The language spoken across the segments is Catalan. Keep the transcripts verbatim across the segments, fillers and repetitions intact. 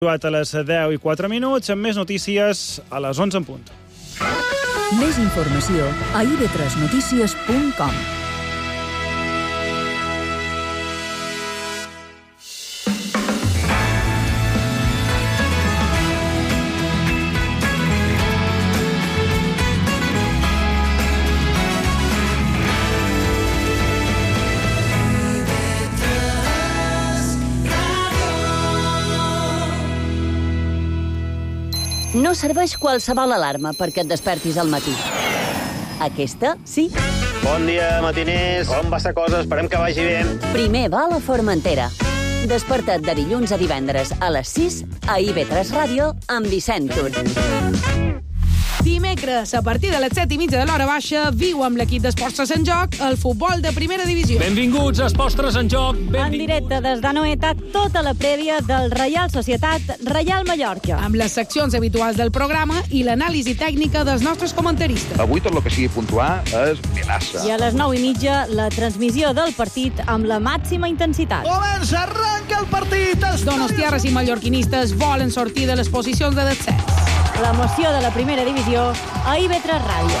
A les deu i quatre minuts, amb més notícies a les onze en punt. Més informació a i be tres notícies punt com. No serveix qualsevol alarma perquè et despertis al matí. Aquesta, sí. Bon dia, matiners. Com va la cosa? Esperem que vagi bé. Primer va a la Formentera. Desperta't de dilluns a divendres a les sis a i be tres Ràdio amb Vicent Tur. Dimecres, a partir de les set i mitja de l'hora baixa, viu amb l'equip d'Esports Tres en Joc el futbol de primera divisió. Benvinguts a Esports Tres en Joc. En directe des d'Anoeta, tota la prèvia del Reial Societat Reial Mallorca. Amb les seccions habituals del programa i l'anàlisi tècnica dels nostres comentaristes. Avui tot el que sigui puntuar és Vilassa. I a les nou i mitja, la transmissió del partit amb la màxima intensitat. Comença, arranca el partit! Donostiarres i mallorquinistes volen sortir de les posicions de descens. L'emoció de la primera divisió a i be tres Ràdio.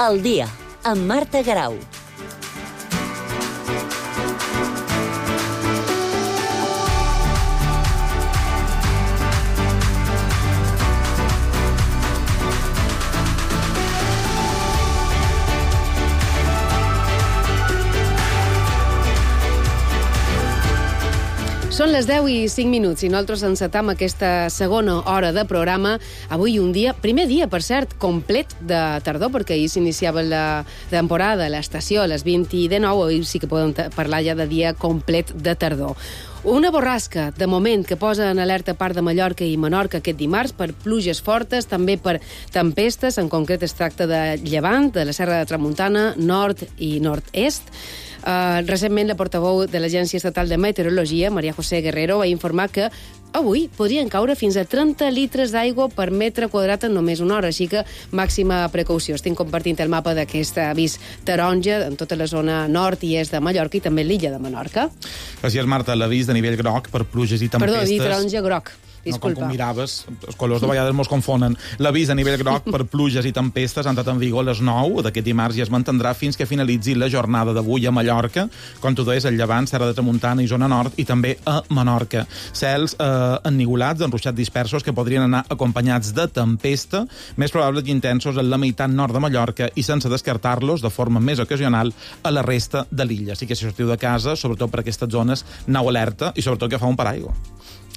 El dia, amb Marta Garau. Són les deu i cinc minuts i nosaltres encetam aquesta segona hora de programa. Avui un dia, primer dia, per cert, complet de tardor, perquè ahir s'iniciava la temporada, l'estació, a les vint i de nou, avui sí que podem parlar ja de dia complet de tardor. Una borrasca, de moment, que posa en alerta part de Mallorca i Menorca aquest dimarts per pluges fortes, també per tempestes, en concret es tracta de llevant, de la Serra de Tramuntana, nord i nord-est. Uh, recentment, la portaveu de l'Agència Estatal de Meteorologia, María José Guerrero, va informar que avui podrien caure fins a trenta litres d'aigua per metre quadrat en només una hora, així que màxima precaució. Estem compartint el mapa d'aquest avís taronja en tota la zona nord i est de Mallorca i també l'illa de Menorca. Gràcies, Marta. L'avís de nivell groc per pluges i tempestes... Perdó, dir taronja groc. Disculpa. No, com miraves, els colors de vegades mos confonen. L'avís a nivell groc per pluges i tempestes ha entrat en vigor a les nou d'aquest dimarts i es mantindrà fins que finalitzi la jornada d'avui a Mallorca, com tu deies, al Llevant, Serra de Tramuntana i zona nord, i també a Menorca. Cels eh, ennivolats, enruixats dispersos, que podrien anar acompanyats de tempesta, més probables i intensos en la meitat nord de Mallorca i sense descartar-los de forma més ocasional a la resta de l'illa. Així que si sortiu de casa, sobretot per aquestes zones, aneu alerta i sobretot que fa un paraigua.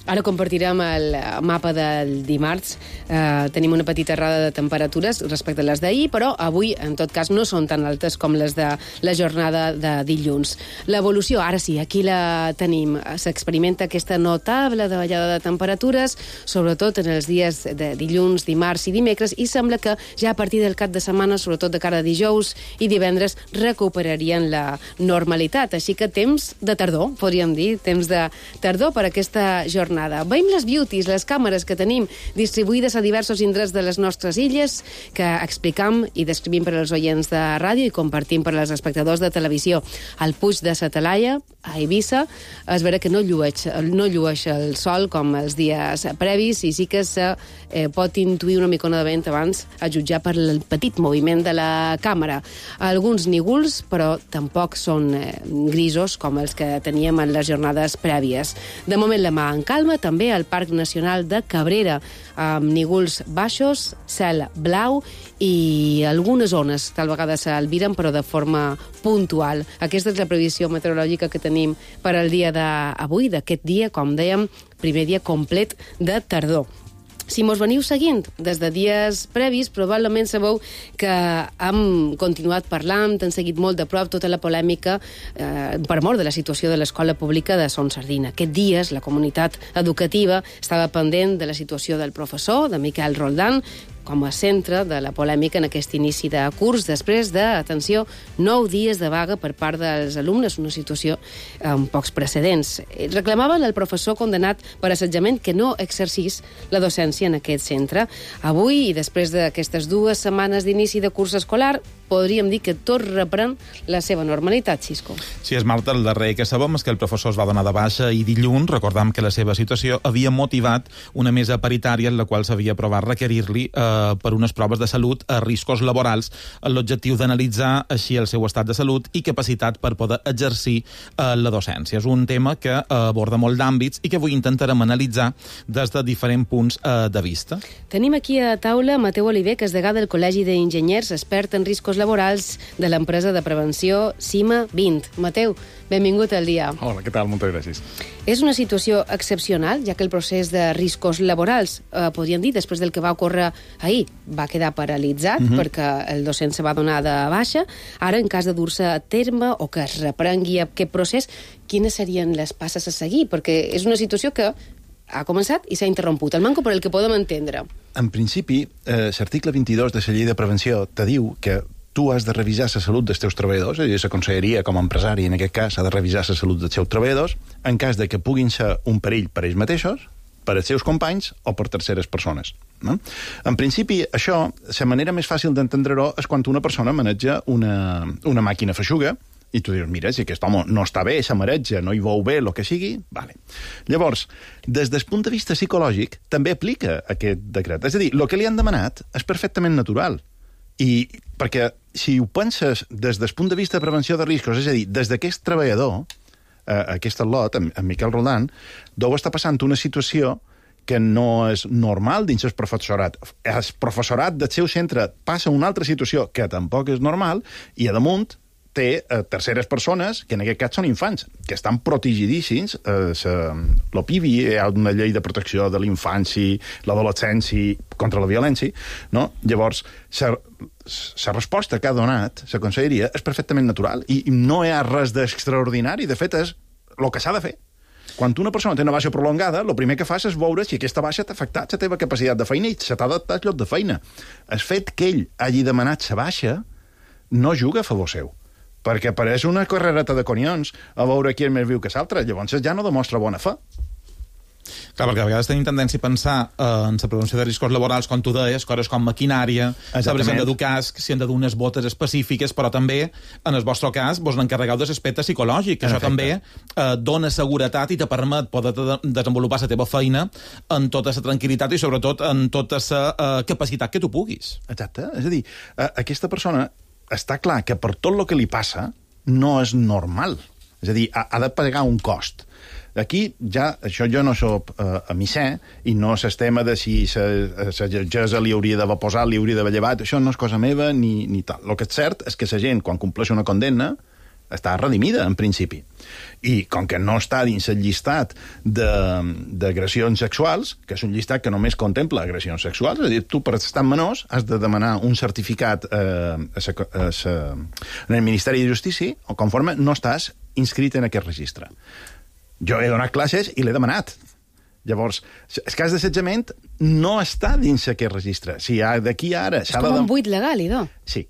Ara compartirem el mapa del dimarts. Eh, tenim una petita errada de temperatures respecte a les d'ahir, però avui, en tot cas, no són tan altes com les de la jornada de dilluns. L'evolució, ara sí, aquí la tenim. S'experimenta aquesta notable davallada de temperatures, sobretot en els dies de dilluns, dimarts i dimecres, i sembla que ja a partir del cap de setmana, sobretot de cara a dijous i divendres, recuperarien la normalitat. Així que temps de tardor, podríem dir, temps de tardor per aquesta jornada. Veiem les beauties, les càmeres que tenim distribuïdes a diversos indrets de les nostres illes, que explicam i descrivim per als oients de ràdio i compartim per als espectadors de televisió. Al Puig de la Talaia, a Eivissa, es veurà que no llueix, no llueix el sol com els dies previs i sí que se eh, pot intuir una micona de vent abans a jutjar per el petit moviment de la càmera. Alguns nígols, però tampoc són eh, grisos com els que teníem en les jornades prèvies. De moment la mà en calma, també al Parc Nacional de Cabrera, amb nígols baixos, cel blau i algunes zones tal vegada s'albiren, però de forma puntual. Aquesta és la previsió meteorològica que tenim per al dia d'avui, d'aquest dia, com dèiem, primer dia complet de tardor. Si mos veniu seguint des de dies previs, probablement sabeu que hem continuat parlant, hem seguit molt de prop tota la polèmica eh, per mort de la situació de l'escola pública de Son Sardina. Aquest dies la comunitat educativa estava pendent de la situació del professor, de Miquel Roldán, com a centre de la polèmica en aquest inici de curs, després de, atenció, nou dies de vaga per part dels alumnes, una situació amb pocs precedents. Reclamaven al professor condenat per assetjament que no exercís la docència en aquest centre. Avui, i després d'aquestes dues setmanes d'inici de curs escolar, podríem dir que tot reprèn la seva normalitat, Xisco. Sí, és Marta, el darrer que sabem és que el professor es va donar de baixa i dilluns recordam que la seva situació havia motivat una mesa paritària en la qual s'havia aprovat requerir-li eh, per unes proves de salut a riscos laborals amb l'objectiu d'analitzar així el seu estat de salut i capacitat per poder exercir eh, la docència. És un tema que eh, aborda molt d'àmbits i que avui intentarem analitzar des de diferents punts eh, de vista. Tenim aquí a taula Mateu Oliver, que és degà del Col·legi d'Enginyers, expert en riscos laborals de l'empresa de prevenció CIMA vint. Mateu, benvingut al dia. Hola, què tal? Moltes gràcies. És una situació excepcional, ja que el procés de riscos laborals, eh, podríem dir, després del que va ocórrer ahir, va quedar paralitzat mm-hmm. perquè el docent se va donar de baixa. Ara, en cas de dur-se a terme o que es reprengui aquest procés, quines serien les passes a seguir? Perquè és una situació que ha començat i s'ha interromput. El manco per el que podem entendre. En principi, eh, l'article vint-i-dos de la llei de prevenció te diu que tu has de revisar la salut dels teus treballadors, és a dir, la conselleria com a empresari, en aquest cas, ha de revisar la salut dels seus treballadors en cas de que puguin ser un perill per ells mateixos, per als seus companys o per terceres persones. No? En principi, això, la manera més fàcil d'entendre-ho és quan una persona maneja una, una màquina feixuga i tu dius, mira, si aquest home no està bé, s'amaretja, no hi veu bé, el que sigui, vale. Llavors, des del punt de vista psicològic, també aplica aquest decret. És a dir, el que li han demanat és perfectament natural. I perquè si ho penses des del punt de vista de prevenció de riscos, és a dir, des d'aquest treballador, eh, aquest al·lot, en, en Miquel Roldán, deu estar passant una situació que no és normal dins el professorat. El professorat del seu centre passa una altra situació que tampoc és normal i, a damunt, té eh, terceres persones, que en aquest cas són infants, que estan protegidíssims. Eh, el P I B I, hi ha una llei de protecció de l'infància, l'adolescència, contra la violència, no? Llavors, la resposta que ha donat la conselleria és perfectament natural i no hi ha res d'extraordinari. De fet, és el que s'ha de fer. Quan una persona té una baixa prolongada, el primer que fas és veure si aquesta baixa t'ha afectat la teva capacitat de feina i se t'ha adaptat al lloc de feina. El fet que ell hagi demanat la baixa no juga a favor seu, perquè apareix una carrereta de conions a veure qui és més viu que l'altre, llavors ja no demostra bona fe. Clar, perquè a vegades tenim tendència a pensar eh, en la prevenció de riscos laborals, com tu deies, coses com maquinària, saber si han de dur casc, si han de dur unes botes específiques, però també, en el vostre cas, vos n'encarregueu de l'aspecte psicològic, que això també eh, dona seguretat i te permet poder desenvolupar la teva feina en tota la tranquil·litat i, sobretot, en tota la eh, capacitat que tu puguis. Exacte. És a dir, eh, aquesta persona està clar que per tot el que li passa no és normal. És a dir, ha, ha de pagar un cost. Aquí ja, això jo no soc eh, emissè i no és el tema de si la jutgessa li hauria d'haver posat, li hauria d'haver llevat, això no és cosa meva ni, ni tal. El que és cert és que la gent, quan compleix una condemna, està redimida, en principi. I com que no està dins el llistat d'agressions sexuals, que és un llistat que només contempla agressions sexuals, és a dir, tu per estar menors has de demanar un certificat eh, a sa, a sa, en el Ministeri de Justícia, o conforme no estàs inscrit en aquest registre. Jo he donat classes i l'he demanat. Llavors, el cas d'assetjament no està dins aquest registre. Si d'aquí a ara... És com de... un buit legal, idò. Sí.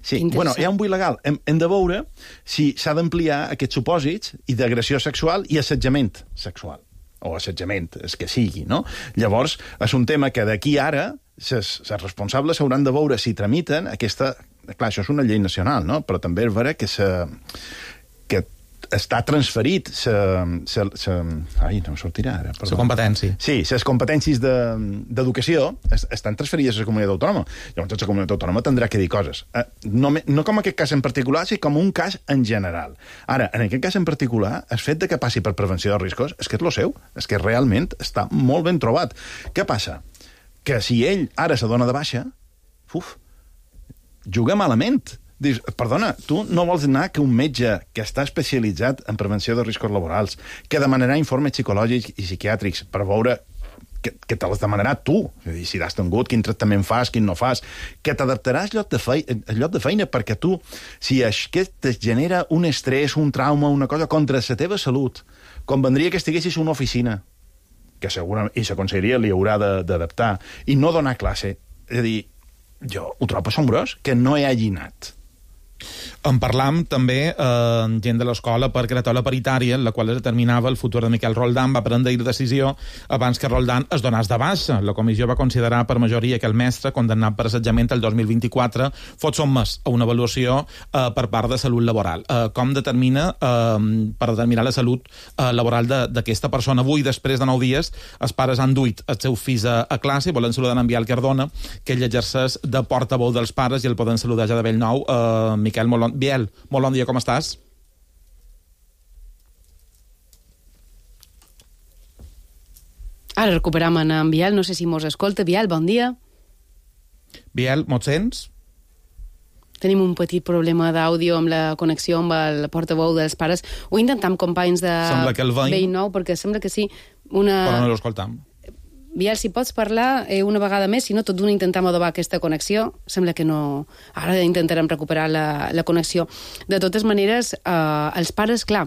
Sí, bueno, hi ha un buit legal. Hem, hem de veure si s'ha d'ampliar aquests supòsits i d'agressió sexual i assetjament sexual. O assetjament, és que sigui, no? Llavors, és un tema que d'aquí ara els responsables hauran de veure si tramiten aquesta... Clar, això és una llei nacional, no? Però també és vera que se... que està transferit sa, sa, sa, ai, no em sortirà ara. La competència. Sí, les competències d'educació de, estan transferides a la comunitat autònoma. Llavors, la comunitat autònoma tindrà que dir coses. Eh, no, no com aquest cas en particular, sinó com un cas en general. Ara, en aquest cas en particular, el fet de que passi per prevenció de riscos és que és lo seu, és que realment està molt ben trobat. Què passa? Que si ell ara se dona de baixa, uf, juga malament. Dius, perdona, tu no vols anar que un metge que està especialitzat en prevenció de riscos laborals, que demanarà informes psicològics i psiquiàtrics per veure que, que te les demanarà tu, és a dir, si t'has tingut, quin tractament fas, quin no fas, que t'adaptaràs al lloc de feina, al lloc de feina perquè tu, si aquest et genera un estrès, un trauma, una cosa contra la teva salut, convendria que estiguessis a una oficina, que segurament, i la conselleria li haurà d'adaptar, i no donar classe és a dir, jo ho trobo assombrós que no hi hagi anat. En parlam també eh, gent de l'escola per crear la paritària, en la qual es determinava el futur de Miquel Roldán. Va prendre la decisió abans que Roldán es donés de baixa. La comissió va considerar per majoria que el mestre, condemnat per assetjament el dos mil vint-i-quatre, fot sotmès a una avaluació eh, per part de salut laboral. Eh, com determina eh, per determinar la salut eh, laboral d'aquesta persona? Avui, després de nou dies, els pares han duit els seus fills a, a classe i volen saludar en Biel Cardona, que ell exerceix de portaveu dels pares, i el poden saludar ja de bell nou. Eh, Miquel, molt bon, Biel, molt bon dia, com estàs? Ara recuperam en Biel, no sé si mos escolta. Biel, bon dia. Biel, mos sents? Tenim un petit problema d'àudio amb la connexió amb el portaveu dels pares. Ho intentam, companys de Vell Nou, perquè sembla que sí. Una... Però no l'escoltam. Biel, si pots parlar eh, una vegada més, si no, tot d'una intentem adobar aquesta connexió. Sembla que no... Ara intentarem recuperar la, la connexió. De totes maneres, eh, els pares, clar,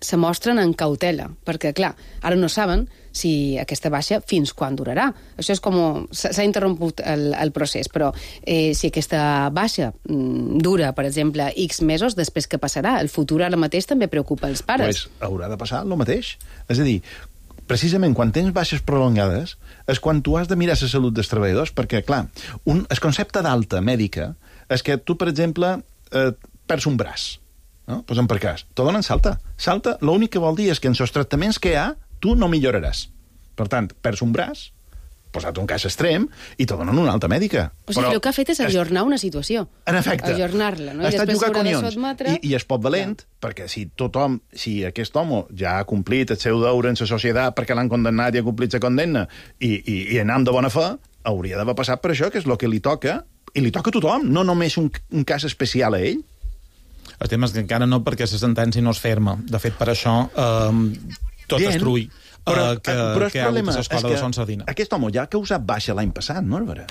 se mostren en cautela, perquè, clar, ara no saben si aquesta baixa fins quan durarà. Això és com... S'ha interromput el, el procés, però eh, si aquesta baixa mm, dura, per exemple, X mesos, després què passarà? El futur ara mateix també preocupa els pares. Pues haurà de passar el mateix. És a dir, precisament quan tens baixes prolongades és quan tu has de mirar la salut dels treballadors, perquè, clar, un, el concepte d'alta mèdica és que tu, per exemple, eh, perds un braç, no? Posem per cas. Te donen salta. Salta, l'únic que vol dir és que en els tractaments que hi ha, tu no milloraràs. Per tant, perds un braç, posat un cas extrem, i te donen una alta mèdica. O sigui, el que ha fet és ajornar una situació. En efecte. Ajornar-la, no? Ha I estat després jugar s'haurà de conyons. sotmetre... I, I és poc valent, ja. Perquè si tothom, si aquest home ja ha complit el seu deure en la societat perquè l'han condemnat i ha complit la condemna, i, i, i anam de bona fe, hauria d'haver passat per això, que és el que li toca, i li toca a tothom, no només un, un cas especial a ell. El tema és que encara no, perquè la sentència no és ferma. De fet, per això, eh, tot Bien. es trull. Però, uh, que, però el que problema és que aquest home ja ha causat baixa l'any passat, no, Álvaro?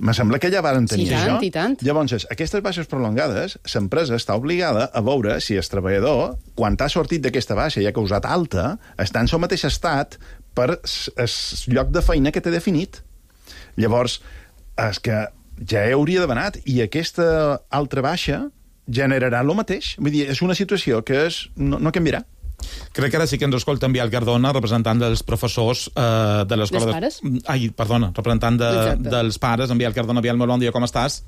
Me sembla que ja varen tenir sí, tant, això. I tant. Llavors, aquestes baixes prolongades, l'empresa està obligada a veure si el treballador, quan t'ha sortit d'aquesta baixa i ha causat alta, està en el mateix estat per el lloc de feina que té definit. Llavors, és que ja hauria d'haver anat, i aquesta altra baixa generarà el mateix. Vull dir, és una situació que és, no, no canviarà. Crec que ara sí que ens escolta en Biel Cardona, representant dels professors eh, de l'escola... Dels pares? De... Ai, perdona, representant de, dels pares, en Biel Cardona. Biel, molt bon dia, com estàs?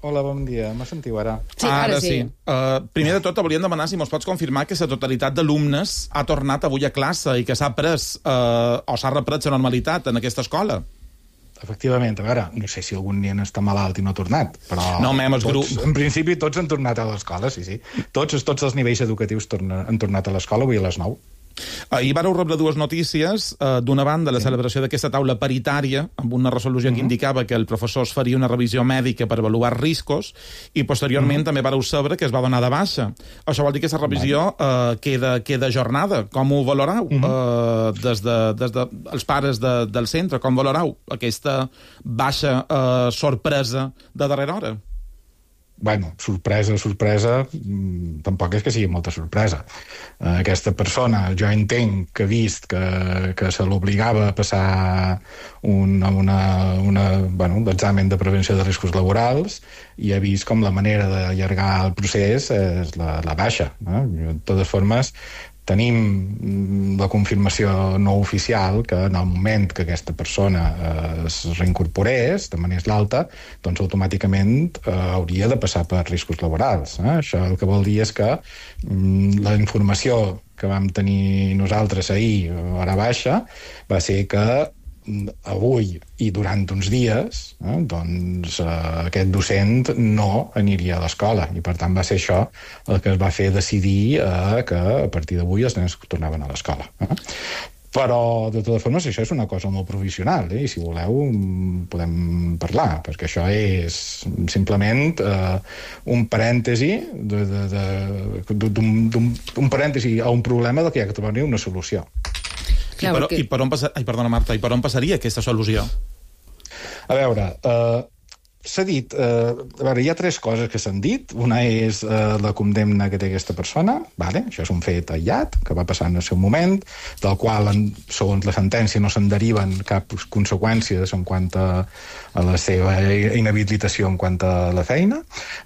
Hola, bon dia. Me sentiu ara? Sí, ara, ara sí. sí. Uh, primer de tot, volíem demanar si mos pots confirmar que la totalitat d'alumnes ha tornat avui a classe i que s'ha pres uh, o s'ha repres la normalitat en aquesta escola. Efectivament, a veure, no sé si algun nen està malalt i no ha tornat, però no, mem, els tots, en principi tots han tornat a l'escola, sí, sí. Tots, tots els nivells educatius torna, han tornat a l'escola avui a les nou. Ahir vareu rebre dues notícies. Uh, D'una banda, la sí. celebració d'aquesta taula paritària, amb una resolució uh -huh. que indicava que el professor es faria una revisió mèdica per avaluar riscos, i posteriorment uh -huh. també vareu saber que es va donar de baixa. Això vol dir que aquesta revisió uh, queda, queda ajornada. Com ho valorau? Uh -huh. uh, des, de, des de els pares de, del centre, com valorau aquesta baixa uh, sorpresa de darrera hora? Bueno, sorpresa, sorpresa, mmm, tampoc és que sigui molta sorpresa. Uh, aquesta persona, jo entenc que ha vist que, que se l'obligava a passar un, una, una, bueno, un examen de prevenció de riscos laborals, i ha vist com la manera d'allargar el procés és la, la baixa. No? De totes formes, tenim la confirmació no oficial que en el moment que aquesta persona eh, es reincorporés, demanés l'alta, doncs automàticament eh, hauria de passar per riscos laborals. Eh? Això el que vol dir és que mm, la informació que vam tenir nosaltres ahir, a hora baixa, va ser que avui i durant uns dies eh, doncs eh, aquest docent no aniria a l'escola, i per tant va ser això el que es va fer decidir eh, que a partir d'avui els nens tornaven a l'escola. Eh? Però, de totes formes, això és una cosa molt provisional, eh? I si voleu podem parlar, perquè això és simplement eh, un parèntesi de, de, de, d'un, d'un parèntesi a un problema del que hi ha que trobar una solució. Clar, I, per, perquè... i per on passa... Ai, perdona, Marta, i per on passaria aquesta solució? A veure, eh, s'ha dit... Eh, a veure, hi ha tres coses que s'han dit. Una és eh, la condemna que té aquesta persona, vale? Això és un fet aïllat, que va passar en el seu moment, del qual, en, segons la sentència, no se'n deriven cap conseqüències en quant a, a la seva inhabilitació en quant a la feina.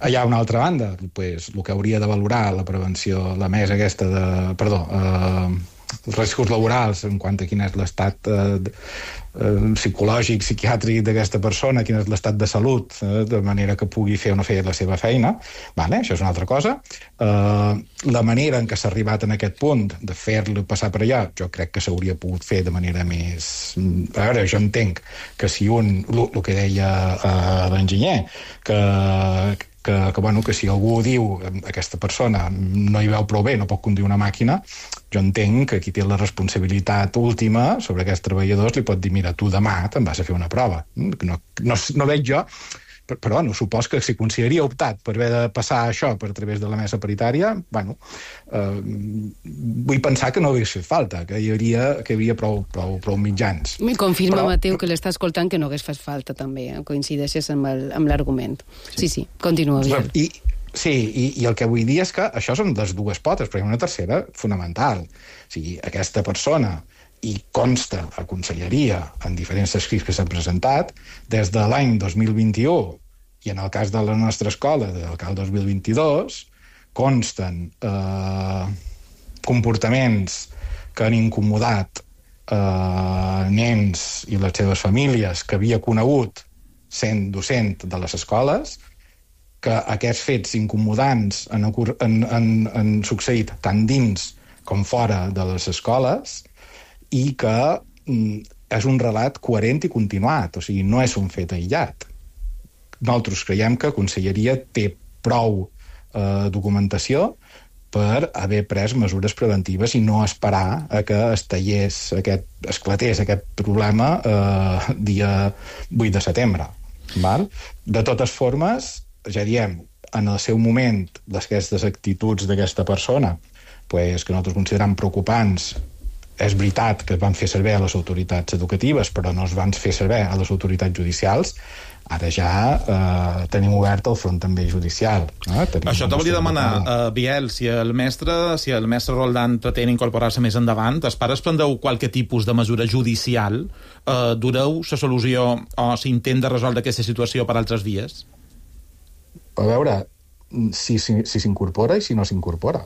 Hi ha una altra banda, pues, el que hauria de valorar la prevenció, la mesa aquesta de... Perdó, eh, els riscos laborals en quant a quin és l'estat eh, eh, psicològic, psiquiàtric d'aquesta persona, quin és l'estat de salut, eh, de manera que pugui fer o no fer la seva feina. Vale, això és una altra cosa. Eh, la manera en què s'ha arribat en aquest punt de fer-lo passar per allà, jo crec que s'hauria pogut fer de manera més... A veure, jo entenc que si un... El que deia eh, l'enginyer, que... Que, que, bueno, que si algú diu aquesta persona no hi veu prou bé, no pot conduir una màquina, jo entenc que qui té la responsabilitat última sobre aquests treballadors li pot dir, mira, tu demà te'n vas a fer una prova. No, no, no veig jo, però bueno, supos que si consideraria optat per haver de passar això per a través de la mesa paritària, bueno, eh, vull pensar que no hagués fet falta, que hi hauria, que hi havia prou, prou, prou mitjans. Mi confirma, però, Mateu, que l'està escoltant que no hagués fet falta també, eh? Coincideixes amb l'argument. Sí, sí, continua, Biel. I, sí, i, i el que vull dir és que això són les dues potes, però hi ha una tercera fonamental. O sigui, aquesta persona, i consta a Conselleria en diferents escrits que s'han presentat, des de l'any dos mil vint-i-u, i en el cas de la nostra escola, del cal dos mil vint-i-dos, consten eh, comportaments que han incomodat eh, nens i les seves famílies que havia conegut sent docent de les escoles, que aquests fets incomodants han, han, han, han succeït tant dins com fora de les escoles, i que mm, és un relat coherent i continuat, o sigui, no és un fet aïllat. Nosaltres creiem que Conselleria té prou eh, documentació per haver pres mesures preventives i no esperar a que es tallés aquest, esclatés aquest problema eh, dia vuit de setembre. Val? De totes formes, ja diem, en el seu moment, aquestes actituds d'aquesta persona, pues, que nosaltres considerem preocupants, és veritat que es van fer servir a les autoritats educatives, però no es van fer servir a les autoritats judicials. Ara ja eh, tenim obert el front també judicial. Eh? Això te volia demanar, uh, Biel, si el mestre si el mestre Roldán pretén incorporar-se més endavant, els pares prendreu qualque tipus de mesura judicial? Uh, dureu la solució o s'intenta resoldre aquesta situació per altres vies? A veure, si s'incorpora si, si i si no s'incorpora.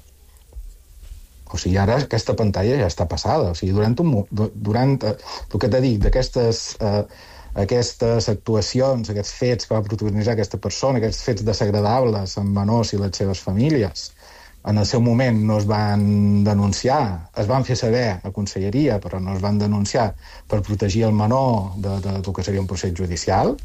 O sigui, ara aquesta pantalla ja està passada. O sigui, durant, un, durant eh, el que t'he dit, d'aquestes eh, aquestes actuacions, aquests fets que va protagonitzar aquesta persona, aquests fets desagradables amb menors i les seves famílies, en el seu moment no es van denunciar, es van fer saber a Conselleria, però no es van denunciar per protegir el menor de, de, del que seria un procés judicial,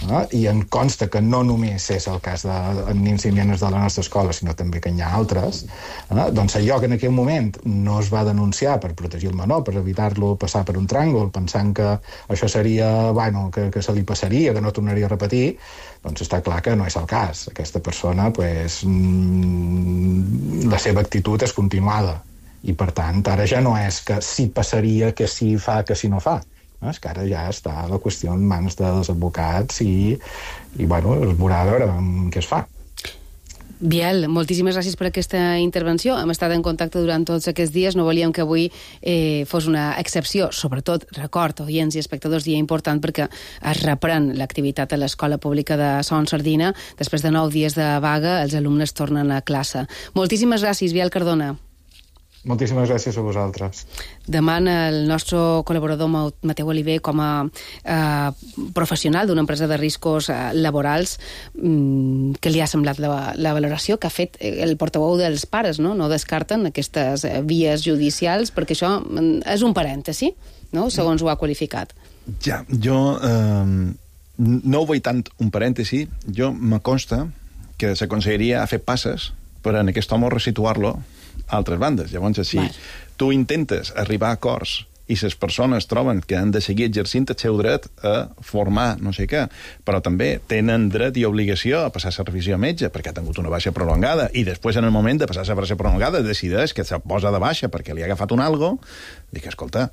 eh? I em consta que no només és el cas de, de nens i nenes de la nostra escola, sinó també que hi ha altres, eh? Doncs allò que en aquell moment no es va denunciar per protegir el menor, per evitar-lo passar per un tràngol, pensant que això seria, bueno, que, que se li passaria, que no tornaria a repetir, doncs està clar que no és el cas. Aquesta persona, pues, mmm, la seva actitud és continuada. I, per tant, ara ja no és que si passaria, que si fa, que si no fa. És que ara ja està la qüestió en mans dels advocats i, i bueno, es veurà a veure què es fa. Biel, moltíssimes gràcies per aquesta intervenció. Hem estat en contacte durant tots aquests dies. No volíem que avui eh, fos una excepció. Sobretot, record, oients i espectadors, dia important perquè es reprèn l'activitat a l'Escola Pública de Son Sardina. Després de nou dies de vaga, els alumnes tornen a classe. Moltíssimes gràcies, Biel Cardona. Moltíssimes gràcies a vosaltres. Demana el nostre col·laborador Mateu Oliver, com a eh, professional d'una empresa de riscos eh, laborals, mm, que li ha semblat la, la valoració que ha fet el portaveu dels pares, no? No descarten aquestes eh, vies judicials, perquè això és un parèntesi, no? Segons ho ha qualificat. Ja, jo eh, no ho vull tant un parèntesi. Jo me consta que la Conselleria ha fet passes per en aquest home resituar-lo a altres bandes. Llavors, si Vai. tu intentes arribar a acords i les persones troben que han de seguir exercint el seu dret a formar no sé què, però també tenen dret i obligació a passar la revisió a metge perquè ha tingut una baixa prolongada i després, en el moment de passar la baixa prolongada, decideix que se posa de baixa perquè li ha agafat un algo, dic, escolta,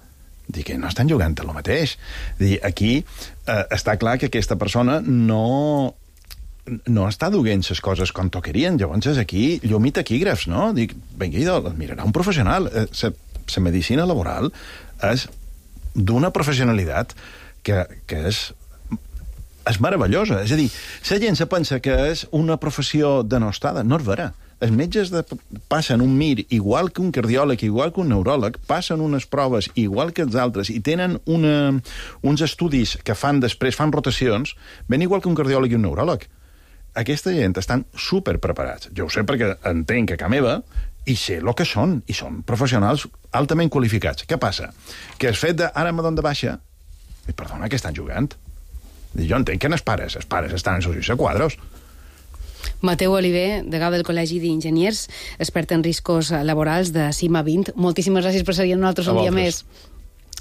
dic que no estan jugant el mateix. Dic, aquí eh, està clar que aquesta persona no no està duent les coses com toquerien. Llavors és aquí, llum i taquígrafs, no? Dic, vinga, idò, mirarà un professional. La medicina laboral és d'una professionalitat que, que és, és meravellosa. És a dir, la gent se pensa que és una professió denostada. No és vera. Els metges de, passen un mir igual que un cardiòleg, igual que un neuròleg, passen unes proves igual que els altres i tenen una, uns estudis que fan després, fan rotacions, ben igual que un cardiòleg i un neuròleg. Aquesta gent estan superpreparats. Jo ho sé perquè entenc que a casa meva i sé el que són, i són professionals altament qualificats. Què passa? Que el fet de ara me dono de baixa, i perdona, que estan jugant. Jo entenc que no els pares, els pares estan en sus quadros. Mateu Oliver, degà del Col·legi d'Enginyers, expert en riscos laborals de CIMA vint. Moltíssimes gràcies per ser amb nosaltres un dia més.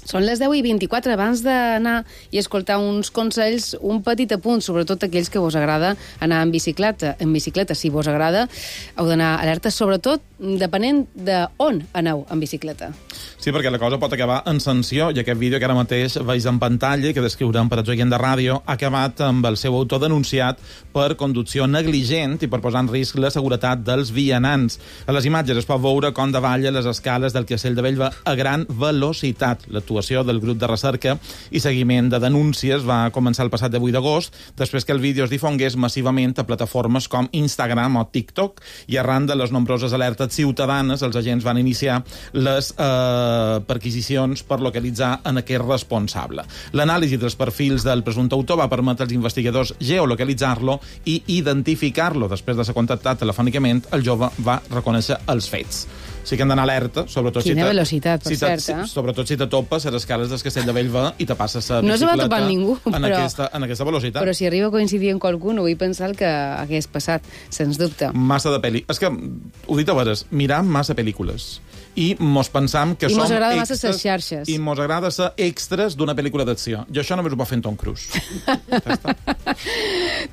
Són les deu i vint-i-quatre. Abans d'anar i escoltar uns consells, un petit apunt, sobretot aquells que vos agrada anar en bicicleta. En bicicleta, si vos agrada, heu d'anar alerta, sobretot depenent d'on aneu en bicicleta. Sí, perquè la cosa pot acabar en sanció, i aquest vídeo que ara mateix veig en pantalla, que descriurem per a gent de ràdio, ha acabat amb el seu autor denunciat per conducció negligent i per posar en risc la seguretat dels vianants. A les imatges es pot veure com davalla les escales del Castell de Bellver a gran velocitat. L'actuació del grup de recerca i seguiment de denúncies va començar el passat divuit d'agost, després que el vídeo es difongués massivament a plataformes com Instagram o TikTok, i arran de les nombroses alertes ciutadanes, els agents van iniciar les eh, perquisicions per localitzar en aquest responsable. L'anàlisi dels perfils del presumpte autor va permetre als investigadors geolocalitzar-lo i identificar-lo. Després de ser contactat telefònicament, el jove va reconèixer els fets. Sí que hem d'anar alerta, sobretot Quina si te, velocitat, per si te, cert, eh? si, sobretot si te topes a les escales del Castell de Bellver i te passes la no bicicleta se va topar ningú, en, però, aquesta, en aquesta velocitat. Però si arriba a coincidir amb qualcú, no vull pensar el que hagués passat, sens dubte. Massa de pel·li. És que, ho dit a veres, miram massa pel·lícules. I mos pensam que I som mos agrada extras, massa les xarxes. I mos agrada ser extras d'una pel·lícula d'acció. I això només ho pot fer en Tom Cruise.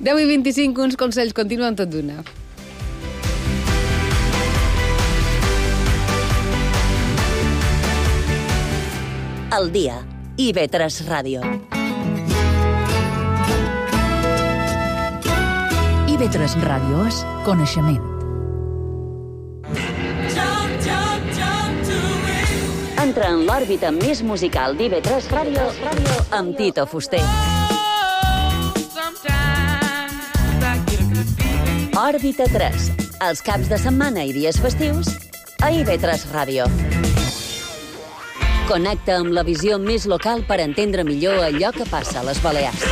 deu i vint-i-cinc, uns consells, continuen tot d'una. El dia. I ve tres Ràdio. I ve tres Ràdio és coneixement. Entra en l'òrbita més musical d'I ve tres Ràdio amb Tito Fuster. Òrbita tres. Els caps de setmana i dies festius a I ve tres Ràdio. Connecta amb la visió més local per entendre millor allò que passa a les Balears.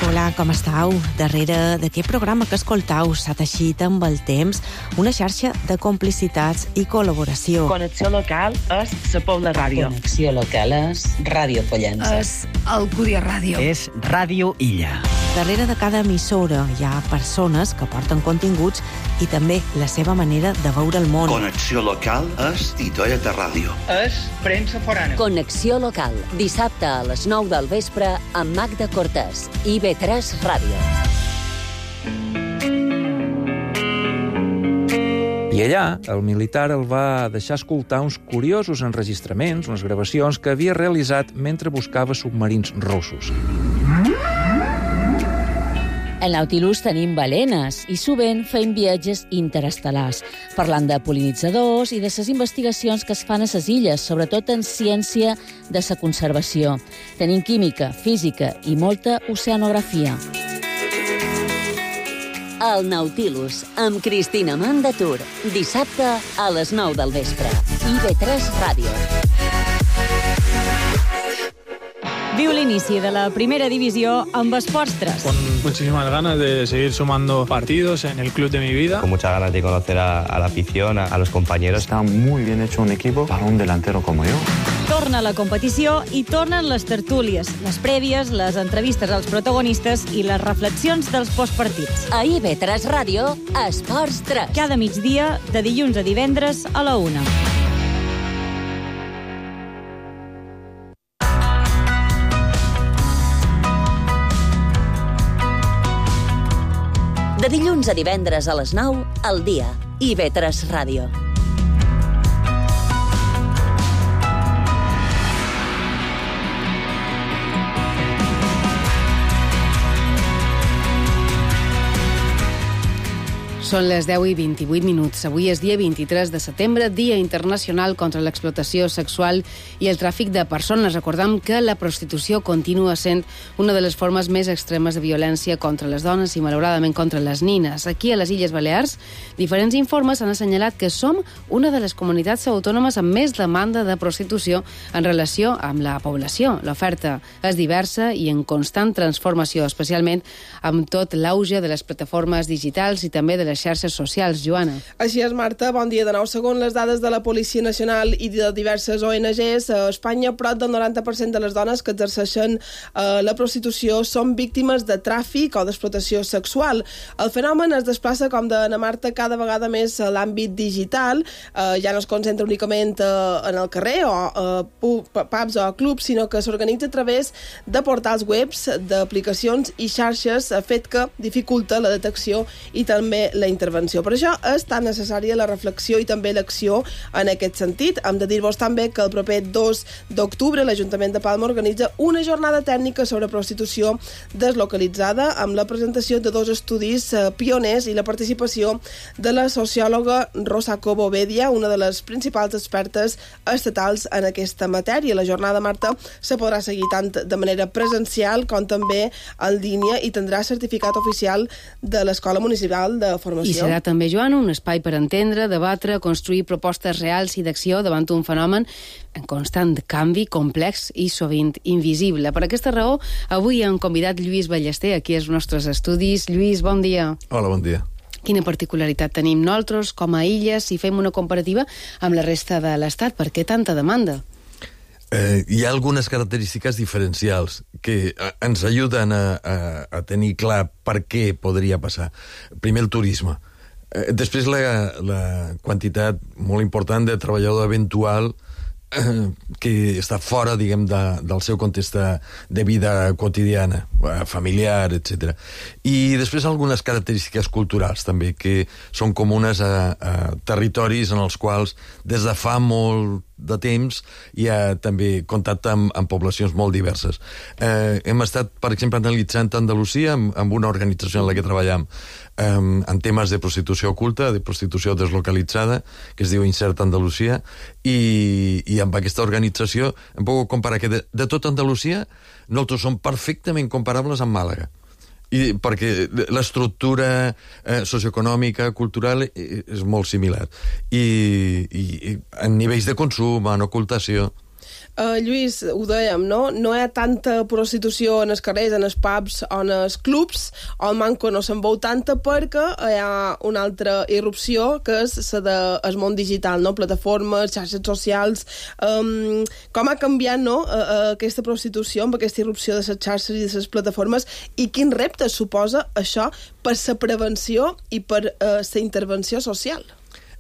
Hola, com estàu? Darrere d'aquest programa que escoltau s'ha teixit amb el temps una xarxa de complicitats i col·laboració. Connexió local és la Pobla Ràdio. Connexió local és Ràdio Pollença. És Alcúdia Ràdio. És Ràdio Illa. Darrere de cada emissora hi ha persones que porten continguts i també la seva manera de veure el món. Connexió local és Titoeta Ràdio. És premsa forana. Connexió local, dissabte a les nou del vespre amb Magda Cortés. I ve tres Ràdio. I allà, el militar el va deixar escoltar uns curiosos enregistraments, unes gravacions que havia realitzat mentre buscava submarins russos. Al Nautilus tenim balenes i sovint fem viatges interestel·lars, parlant de pol·linitzadors i de les investigacions que es fan a les illes, sobretot en ciència de la conservació. Tenim química, física i molta oceanografia. El Nautilus, amb Cristina Mandatur, dissabte a les nou del vespre. I ve tres Ràdio. Viu l'inici de la primera divisió amb Esports tres. Con muchísimas ganas de seguir sumando partidos en el club de mi vida. Con muchas ganas de conocer a, a la afición, a, a los compañeros. Está muy bien hecho un equipo para un delantero como yo. Torna la competició i tornen les tertúlies, les prèvies, les entrevistes als protagonistes i les reflexions dels postpartits. A I ve tres Ràdio, Esports tres. Cada migdia, de dilluns a divendres a la una. De dilluns a divendres a les nou, al dia. I ve tres Ràdio. Són les deu i vint-i-vuit minuts. Avui és dia vint-i-tres de setembre, Dia Internacional contra l'Explotació Sexual i el Tràfic de Persones. Recordem que la prostitució continua sent una de les formes més extremes de violència contra les dones i, malauradament, contra les nines. Aquí, a les Illes Balears, diferents informes han assenyalat que som una de les comunitats autònomes amb més demanda de prostitució en relació amb la població. L'oferta és diversa i en constant transformació, especialment amb tot l'auge de les plataformes digitals i també de les xarxes socials. Joana. Així és, Marta. Bon dia de nou. Segons les dades de la Policia Nacional i de diverses O N Ges, a Espanya, prop del noranta per cent de les dones que exerceixen eh, la prostitució són víctimes de tràfic o d'explotació sexual. El fenomen es desplaça, com de na Marta, cada vegada més a l'àmbit digital. Eh, ja no es concentra únicament eh, en el carrer o eh, pubs o clubs, sinó que s'organitza a través de portals webs, d'aplicacions i xarxes, fet que dificulta la detecció i també la intervenció. Per això és tan necessària la reflexió i també l'acció en aquest sentit. Hem de dir-vos també que el proper dos d'octubre l'Ajuntament de Palma organitza una jornada tècnica sobre prostitució deslocalitzada amb la presentació de dos estudis eh, pioners i la participació de la sociòloga Rosa Cobo Bedia, una de les principals expertes estatals en aquesta matèria. La jornada, Marta, se podrà seguir tant de manera presencial com també en línia i tindrà certificat oficial de l'Escola Municipal de Formació. I serà també, Joana, un espai per entendre, debatre, construir propostes reals i d'acció davant un fenomen en constant canvi, complex i sovint invisible. Per aquesta raó, avui hem convidat Lluís Ballester aquí als nostres estudis. Lluís, bon dia. Hola, bon dia. Quina particularitat tenim nosaltres com a illes si fem una comparativa amb la resta de l'Estat? Per què tanta demanda? Eh, hi ha algunes característiques diferencials que eh, ens ajuden a, a, a tenir clar per què podria passar. Primer, el turisme. Eh, després, la, la quantitat molt important de treballador eventual eh, que està fora, diguem, de, del seu context de vida quotidiana, familiar, etcètera. I després algunes característiques culturals, també, que són comunes a, a territoris en els quals des de fa molt de temps hi ha també contacte amb, amb poblacions molt diverses. Eh, hem estat, per exemple, analitzant Andalusia amb, amb una organització en la que treballem eh, en temes de prostitució oculta, de prostitució deslocalitzada, que es diu Insert Andalusia, i, i amb aquesta organització hem pogut comparar que de, de tot Andalusia nosaltres som perfectament comparables amb Màlaga. I perquè l'estructura eh, socioeconòmica, cultural, és molt similar. I, i, i en nivells de consum, en ocultació... Uh, Lluís, ho dèiem, no? No hi ha tanta prostitució en els carrers, en els pubs o en els clubs, o el manco no se'n veu tanta perquè hi ha una altra irrupció que és la del món digital, no? Plataformes, xarxes socials... Um, com ha canviat, no?, uh, uh, aquesta prostitució amb aquesta irrupció de les xarxes i de les plataformes, i quin repte suposa això per la prevenció i per uh, la intervenció social?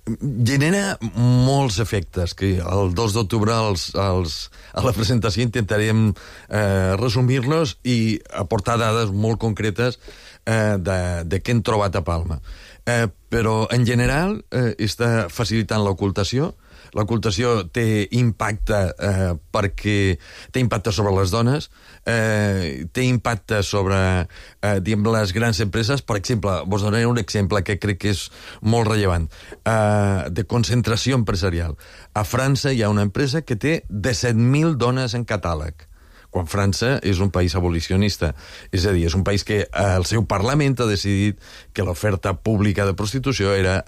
Genera molts efectes que el dos d'octubre als, als, a la presentació intentarem eh, resumir-los i aportar dades molt concretes eh, de, de què hem trobat a Palma. Eh, però, en general, eh, està facilitant l'ocultació. L'ocultació té impacte eh, perquè té impacte sobre les dones, eh, té impacte sobre eh, diguem, les grans empreses. Per exemple, vos donaré un exemple que crec que és molt rellevant, eh, de concentració empresarial. A França hi ha una empresa que té disset mil dones en catàleg, quan França és un país abolicionista. És a dir, és un país que el seu Parlament ha decidit que l'oferta pública de prostitució era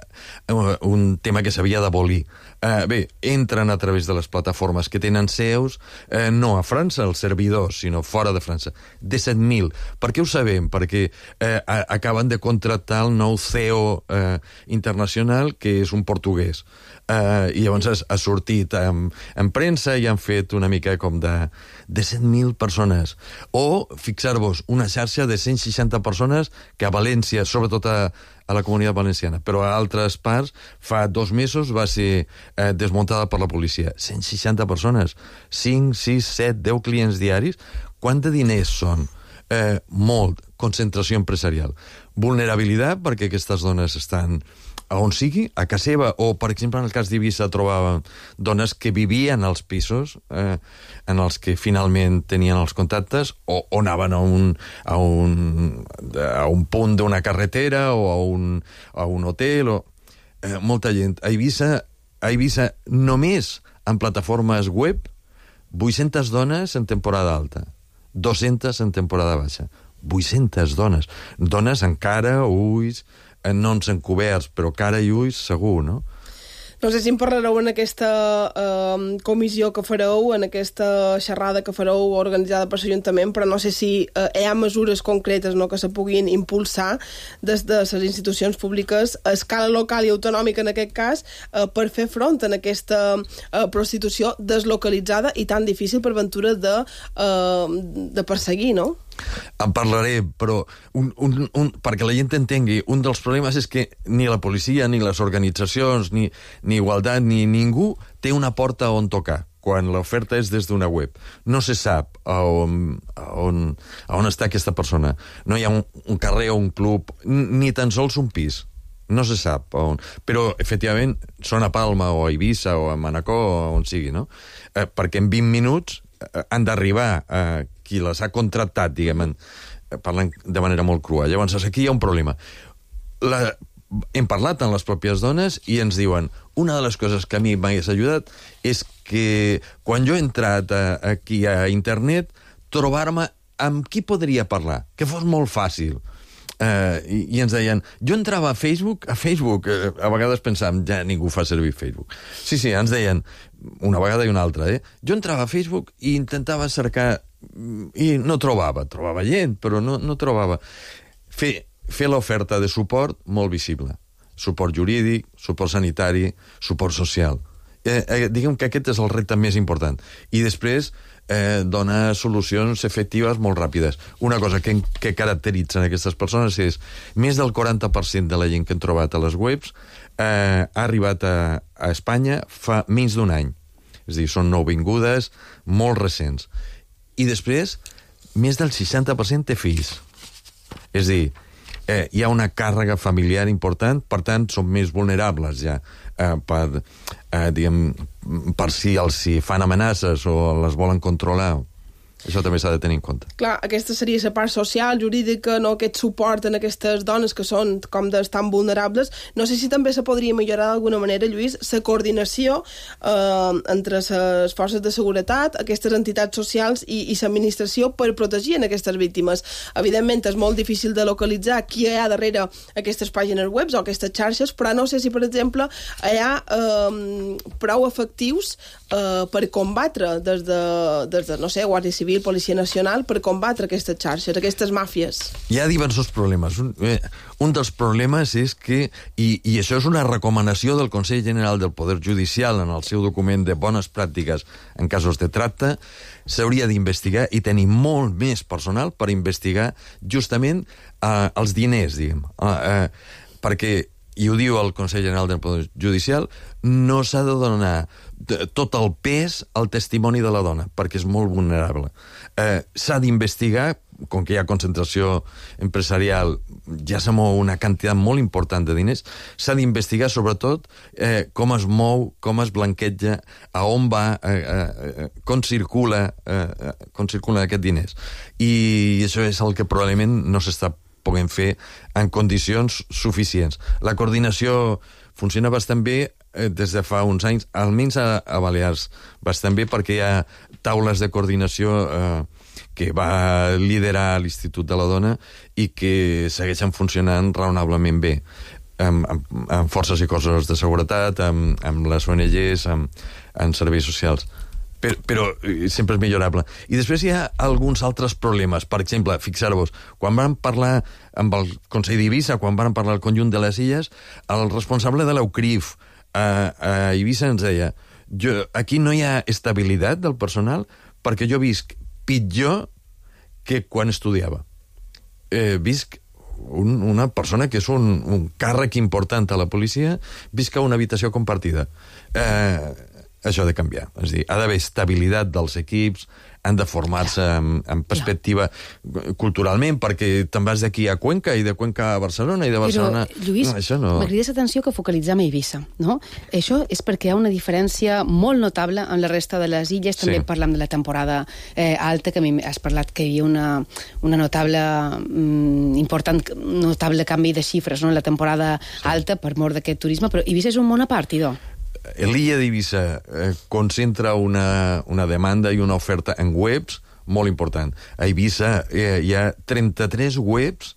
un tema que s'havia d'abolir. Eh, bé, entren a través de les plataformes que tenen seus, eh, no a França, els servidors, sinó fora de França. disset mil. Per què ho sabem? Perquè eh, acaben de contractar el nou C E O eh, internacional, que és un portuguès. Uh, i llavors ha sortit en, en premsa i han fet una mica com de disset mil persones. O, fixar-vos, una xarxa de cent seixanta persones que a València, sobretot a, a la Comunitat Valenciana, però a altres parts, fa dos mesos va ser eh, desmuntada per la policia. cent seixanta persones, cinc, sis, set, deu clients diaris. Quant de diners són? eh, molt, concentració empresarial. Vulnerabilitat, perquè aquestes dones estan a on sigui, a casa seva, o, per exemple, en el cas d'Eivissa trobàvem dones que vivien als pisos eh, en els que finalment tenien els contactes, o, o anaven a un, a un, a un punt d'una carretera o a un, a un hotel, o eh, molta gent. A Eivissa, a Eivissa només en plataformes web, vuit-centes dones en temporada alta, dues-centes en temporada baixa. vuit-centes dones. Dones amb cara, ulls, no ens encoberts, però cara i ulls segur, no? No sé si em parlareu en aquesta eh, comissió que fareu, en aquesta xerrada que fareu organitzada per l'Ajuntament, però no sé si eh, hi ha mesures concretes, no?, que se puguin impulsar des de les institucions públiques a escala local i autonòmica, en aquest cas, eh, per fer front a aquesta eh, prostitució deslocalitzada i tan difícil per ventura de, eh, de perseguir, no? En parlaré, però un, un, un, perquè la gent entengui, un dels problemes és que ni la policia, ni les organitzacions, ni, ni Igualtat, ni ningú té una porta on tocar quan l'oferta és des d'una web. No se sap a on, a on, a on està aquesta persona. No hi ha un, un carrer o un club, ni tan sols un pis. No se sap on. Però, efectivament, són a Palma o a Eivissa o a Manacor o on sigui, no? Eh, perquè en vint minuts eh, han d'arribar a eh, qui les ha contractat, diguem, en, parlant de manera molt crua. Llavors, aquí hi ha un problema. La, hem parlat amb les pròpies dones i ens diuen, una de les coses que a mi m'hagués ajudat és que quan jo he entrat a, aquí a internet, trobar-me amb qui podria parlar, que fos molt fàcil. Uh, i, i ens deien, jo entrava a Facebook, a Facebook, uh, a vegades pensàvem, ja ningú fa servir Facebook. Sí, sí, ens deien, una vegada i una altra, eh? Jo entrava a Facebook i intentava cercar, i no trobava, trobava gent, però no, no trobava. Fer, fer l'oferta de suport molt visible. Suport jurídic, suport sanitari, suport social. Eh, eh, diguem que aquest és el repte més important. I després eh, dona solucions efectives molt ràpides. Una cosa que, que caracteritzen aquestes persones és més del quaranta per cent de la gent que hem trobat a les webs eh, ha arribat a, a Espanya fa menys d'un any. És a dir, són nouvingudes, molt recents. I després, més del seixanta per cent té fills. És a dir, eh, hi ha una càrrega familiar important, per tant, són més vulnerables ja, eh, per, eh, diguem, per si els si fan amenaces o les volen controlar. Això també s'ha de tenir en compte. Clar, aquesta seria la part social, jurídica, no, aquest suport en aquestes dones que són, com des, tan vulnerables. No sé si també se podria millorar d'alguna manera, Lluís, la coordinació eh, entre les forces de seguretat, aquestes entitats socials i, i l'administració per protegir en aquestes víctimes. Evidentment, és molt difícil de localitzar qui hi ha darrere aquestes pàgines web o aquestes xarxes, però no sé si, per exemple, hi ha eh, prou efectius eh, per combatre des de, des de, no sé, Guàrdia Civil, Policia Nacional, per combatre aquestes xarxes, aquestes màfies. Hi ha diversos problemes. Un, eh, un dels problemes és que, i, i això és una recomanació del Consell General del Poder Judicial en el seu document de bones pràctiques en casos de tracte, s'hauria d'investigar i tenir molt més personal per investigar justament eh, els diners, diguem. Eh, eh, perquè, i ho diu el Consell General del Poder Judicial, no s'ha de donar tot el pes al testimoni de la dona, perquè és molt vulnerable. Eh, s'ha d'investigar, com que hi ha concentració empresarial, ja se mou una quantitat molt important de diners, s'ha d'investigar sobretot eh, com es mou, com es blanqueja, a on va, eh, eh, com circula, eh, com circulen aquests diners. I això és el que probablement no s'està podent fer en condicions suficients. La coordinació funciona bastant bé eh, des de fa uns anys, almenys a, a Balears, bastant bé, perquè hi ha taules de coordinació eh, que va liderar l'Institut de la Dona i que segueixen funcionant raonablement bé, amb, amb, amb forces i cossos de seguretat, amb, amb les O N Ges, amb, amb serveis socials. Però, però sempre és millorable. I després hi ha alguns altres problemes. Per exemple, fixar-vos, quan vam parlar amb el Consell d'Eivissa, quan vam parlar al conjunt de les illes, el responsable de l'Eucrif a, a Eivissa ens deia, jo, aquí no hi ha estabilitat del personal perquè jo visc pitjor que quan estudiava. Eh, visc un, una persona que és un, un càrrec important a la policia, visc a una habitació compartida. Eh, això ha de canviar. És a dir, ha d'haver estabilitat dels equips, han de formar-se en, en perspectiva culturalment, perquè te'n vas d'aquí a Cuenca i de Cuenca a Barcelona i de Barcelona... Però, Lluís, no, això no... m'agradaria l'atenció que focalitzem a Eivissa, no? Això és perquè hi ha una diferència molt notable amb la resta de les illes. També sí. Parlam de la temporada eh, alta, que a mi has parlat que hi havia una, una notable, mm, important, notable canvi de xifres, no?, en la temporada sí. alta per mort d'aquest turisme, però Eivissa és un món a part, idò. L'illa d'Eivissa eh, concentra una, una demanda i una oferta en webs molt important. A Eivissa eh, hi ha trenta-tres webs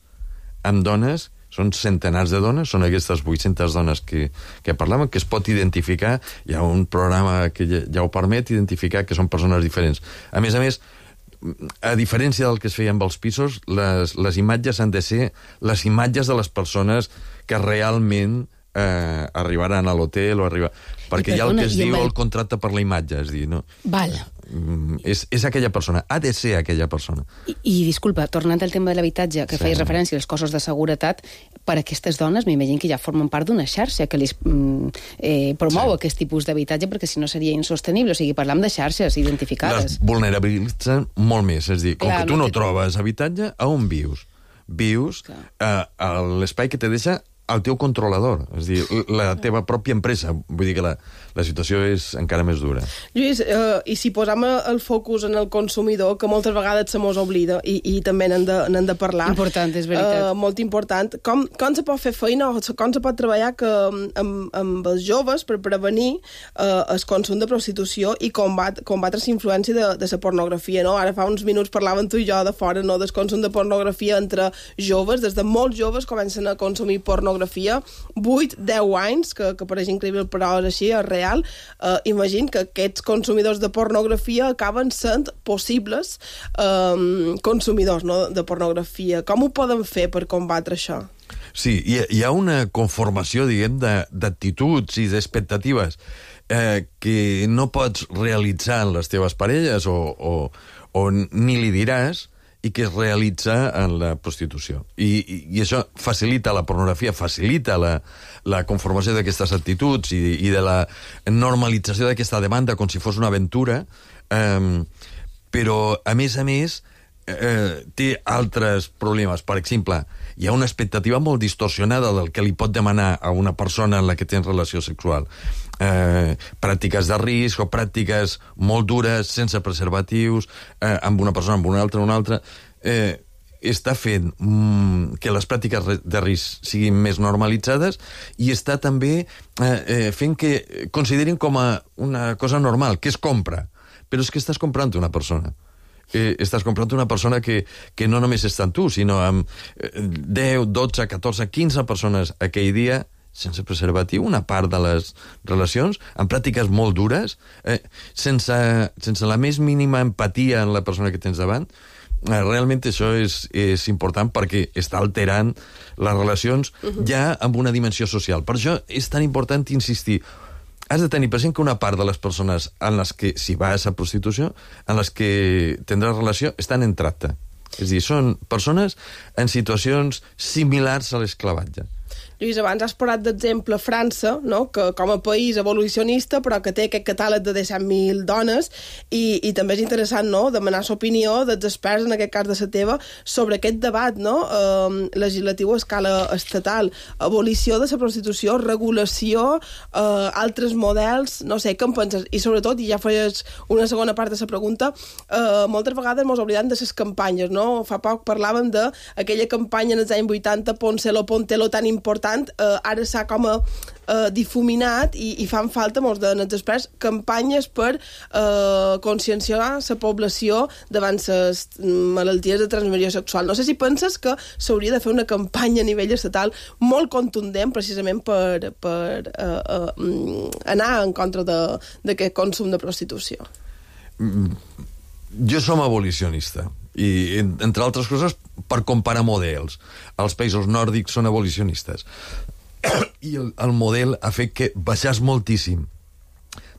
amb dones, són centenars de dones, són aquestes vuit-centes dones que, que parlaven, que es pot identificar, hi ha un programa que ja, ja ho permet identificar que són persones diferents. A més a més, a diferència del que es feia amb els pisos, les, les imatges han de ser les imatges de les persones que realment eh, arribaran a l'hotel o arribar... Perquè hi ha el que es diu el contracte per la imatge, és dir, no? Val. És, és aquella persona, ha de ser aquella persona. I, i disculpa, tornant al tema de l'habitatge, que sí. feies referència als cossos de seguretat, per a aquestes dones m'imagino que ja formen part d'una xarxa que les eh, promou sí. aquest tipus d'habitatge, perquè si no seria insostenible. O sigui, parlam de xarxes identificades. Les vulnerabilitzen molt més, és dir, com Clar, que tu no, no trobes habitatge, a on vius? Vius a, a l'espai que te deixa el teu controlador, és dir, la teva pròpia empresa. Vull dir que la, la situació és encara més dura. Lluís, eh, i si posam el focus en el consumidor, que moltes vegades se mos oblida, i, i també n'hem de, n'hem de parlar. Important, és veritat. Eh, molt important. Com, com se pot fer feina, o com se pot treballar que, amb, amb els joves per prevenir eh, el consum de prostitució i combat, combatre la influència de, de la pornografia, no? Ara fa uns minuts parlaven tu i jo de fora, no?, del consum de pornografia entre joves. Des de molts joves comencen a consumir pornografia, vuit a deu anys, que, que pareix increïble, però és així, és real. Eh, imagina que aquests consumidors de pornografia acaben sent possibles eh, consumidors, no?, de pornografia. Com ho poden fer per combatre això? Sí, hi ha, hi ha una conformació, diguem, d'actituds i d'expectatives eh, que no pots realitzar en les teves parelles o, o, o ni li diràs, i que es realitza en la prostitució. I, i, i això facilita la pornografia, facilita la, la conformació d'aquestes actituds i, i de la normalització d'aquesta demanda com si fos una aventura, eh, però, a més a més, eh, té altres problemes. Per exemple, hi ha una expectativa molt distorsionada del que li pot demanar a una persona en la que tens relació sexual. Eh, pràctiques de risc o pràctiques molt dures, sense preservatius, eh, amb una persona, amb una altra, una altra... Eh, està fent mm, que les pràctiques de risc siguin més normalitzades i està també eh, eh, fent que considerin com a una cosa normal, que es compra. Però és que estàs comprant una persona. Eh, estàs comprant una persona que, que no només està amb tu, sinó amb deu, dotze, catorze, quinze persones aquell dia sense preservatiu, una part de les relacions, amb pràctiques molt dures, eh, sense, sense la més mínima empatia en la persona que tens davant. Eh, realment això és, és important perquè està alterant les relacions uh-huh. ja amb una dimensió social. Per això és tan important insistir. Has de tenir present que una part de les persones en les que, si vas a prostitució, en les que tindràs relació, estan en tracte. És a dir, són persones en situacions similars a l'esclavatge. Lluís, abans has parlat d'exemple França, no?, que com a país evolucionista, però que té aquest catàleg de disset mil dones, i, i també és interessant, no?, demanar l'opinió dels experts, en aquest cas de la teva, sobre aquest debat, no?, eh, legislatiu a escala estatal, abolició de la prostitució, regulació, eh, altres models, no sé, què en penses? I sobretot, i ja feies una segona part de la pregunta, eh, moltes vegades mos oblidem de les campanyes, no? Fa poc parlàvem d'aquella campanya en els anys vuitanta, Poncelo, Pontelo, tan important, Uh, ara s'ha com a uh, difuminat i, i fan falta, molts dels experts, campanyes per uh, conscienciar la població davant les malalties de transmissió sexual. No sé si penses que s'hauria de fer una campanya a nivell estatal molt contundent precisament per, per uh, uh, anar en contra d'aquest consum de prostitució. Mm, jo som abolicionista i, entre altres coses, per comparar models. Els països nòrdics són abolicionistes i el, el model ha fet que baixés moltíssim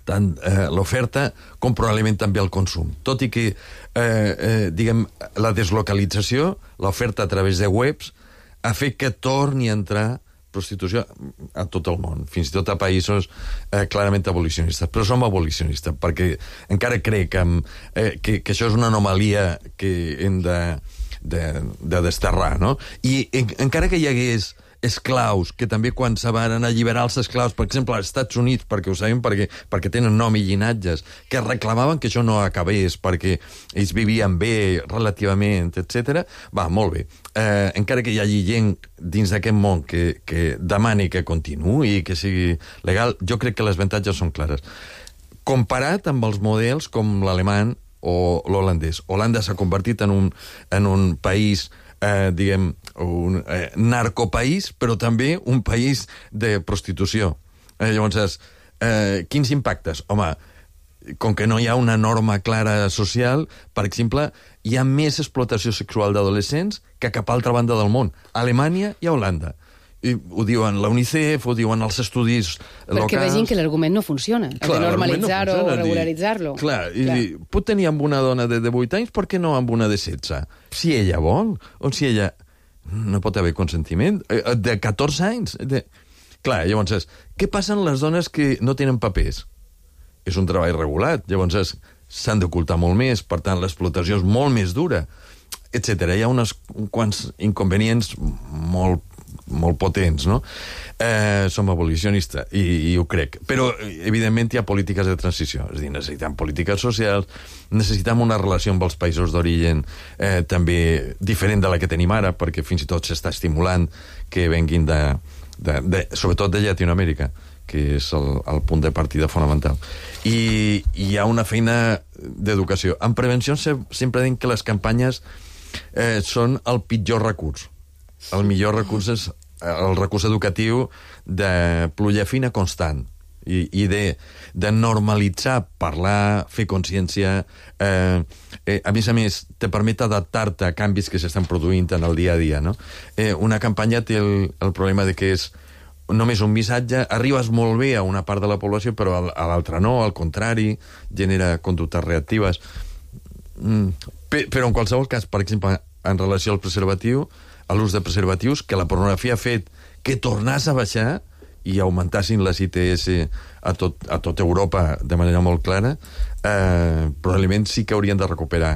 tant eh, l'oferta com probablement també el consum. Tot i que, eh, eh, diguem, la deslocalització, l'oferta a través de webs, ha fet que torni a entrar prostitució a tot el món, fins i tot a països eh, clarament abolicionistes. Però som abolicionistes, perquè encara crec que, eh, que, que això és una anomalia que hem de, de, de desterrar, no? I en, encara que hi hagués esclaus, que també quan se van alliberar els esclaus, per exemple, als Estats Units, perquè ho sabem, perquè, perquè tenen nom i llinatges, que reclamaven que això no acabés, perquè ells vivien bé, relativament, etcètera. Va, molt bé. Eh, encara que hi hagi gent dins d'aquest món que, que demani que continuï i que sigui legal, jo crec que les avantatges són clares. Comparat amb els models com l'alemany o l'holandès. Holanda s'ha convertit en un, en un país Eh, diguem, un eh, narcopaís, però també un país de prostitució. Eh, llavors, eh, quins impactes? Home, com que no hi ha una norma clara social, per exemple, hi ha més explotació sexual d'adolescents que a cap altra banda del món. A Alemanya i a Holanda. I ho diuen la UNICEF, ho diuen els estudis locals... Perquè vegin que l'argument no funciona. Clar, de normalitzar-ho no o regularitzar-lo. Clar, i clar. Dir, pot tenir amb una dona de divuit anys, per què no amb una de setze? Si ella vol, o si ella... No pot haver consentiment. De catorze anys. De... Clar, llavors, què passa amb les dones que no tenen papers? És un treball regulat, llavors s'han d'ocultar molt més, per tant, l'explotació és molt més dura, etcètera. Hi ha uns quants inconvenients molt molt potents, no? Eh, som abolicionistes, i, i ho crec. Però, evidentment, hi ha polítiques de transició. És a dir, necessitem polítiques socials, necessitem una relació amb els països d'origen eh, també diferent de la que tenim ara, perquè fins i tot s'està estimulant que venguin de, de, de, sobretot de Llatinoamèrica, que és el, el punt de partida fonamental. I, i hi ha una feina d'educació. En prevenció sempre dic que les campanyes eh, són el pitjor recurs. El millor recurs és el recurs educatiu de pluja fina constant i, i de, de normalitzar, parlar, fer consciència. Eh, eh, a més a més, te permet adaptar-te a canvis que s'estan produint en el dia a dia, no? Eh, una campanya té el, el problema de que és només un missatge, arribes molt bé a una part de la població, però a l'altra no, al contrari, genera conductes reactives. Mm, però en qualsevol cas, per exemple, en relació al preservatiu, a l'ús de preservatius, que la pornografia ha fet que tornàs a baixar i augmentassin les I T S a tot, a tot Europa de manera molt clara, eh, probablement sí que haurien de recuperar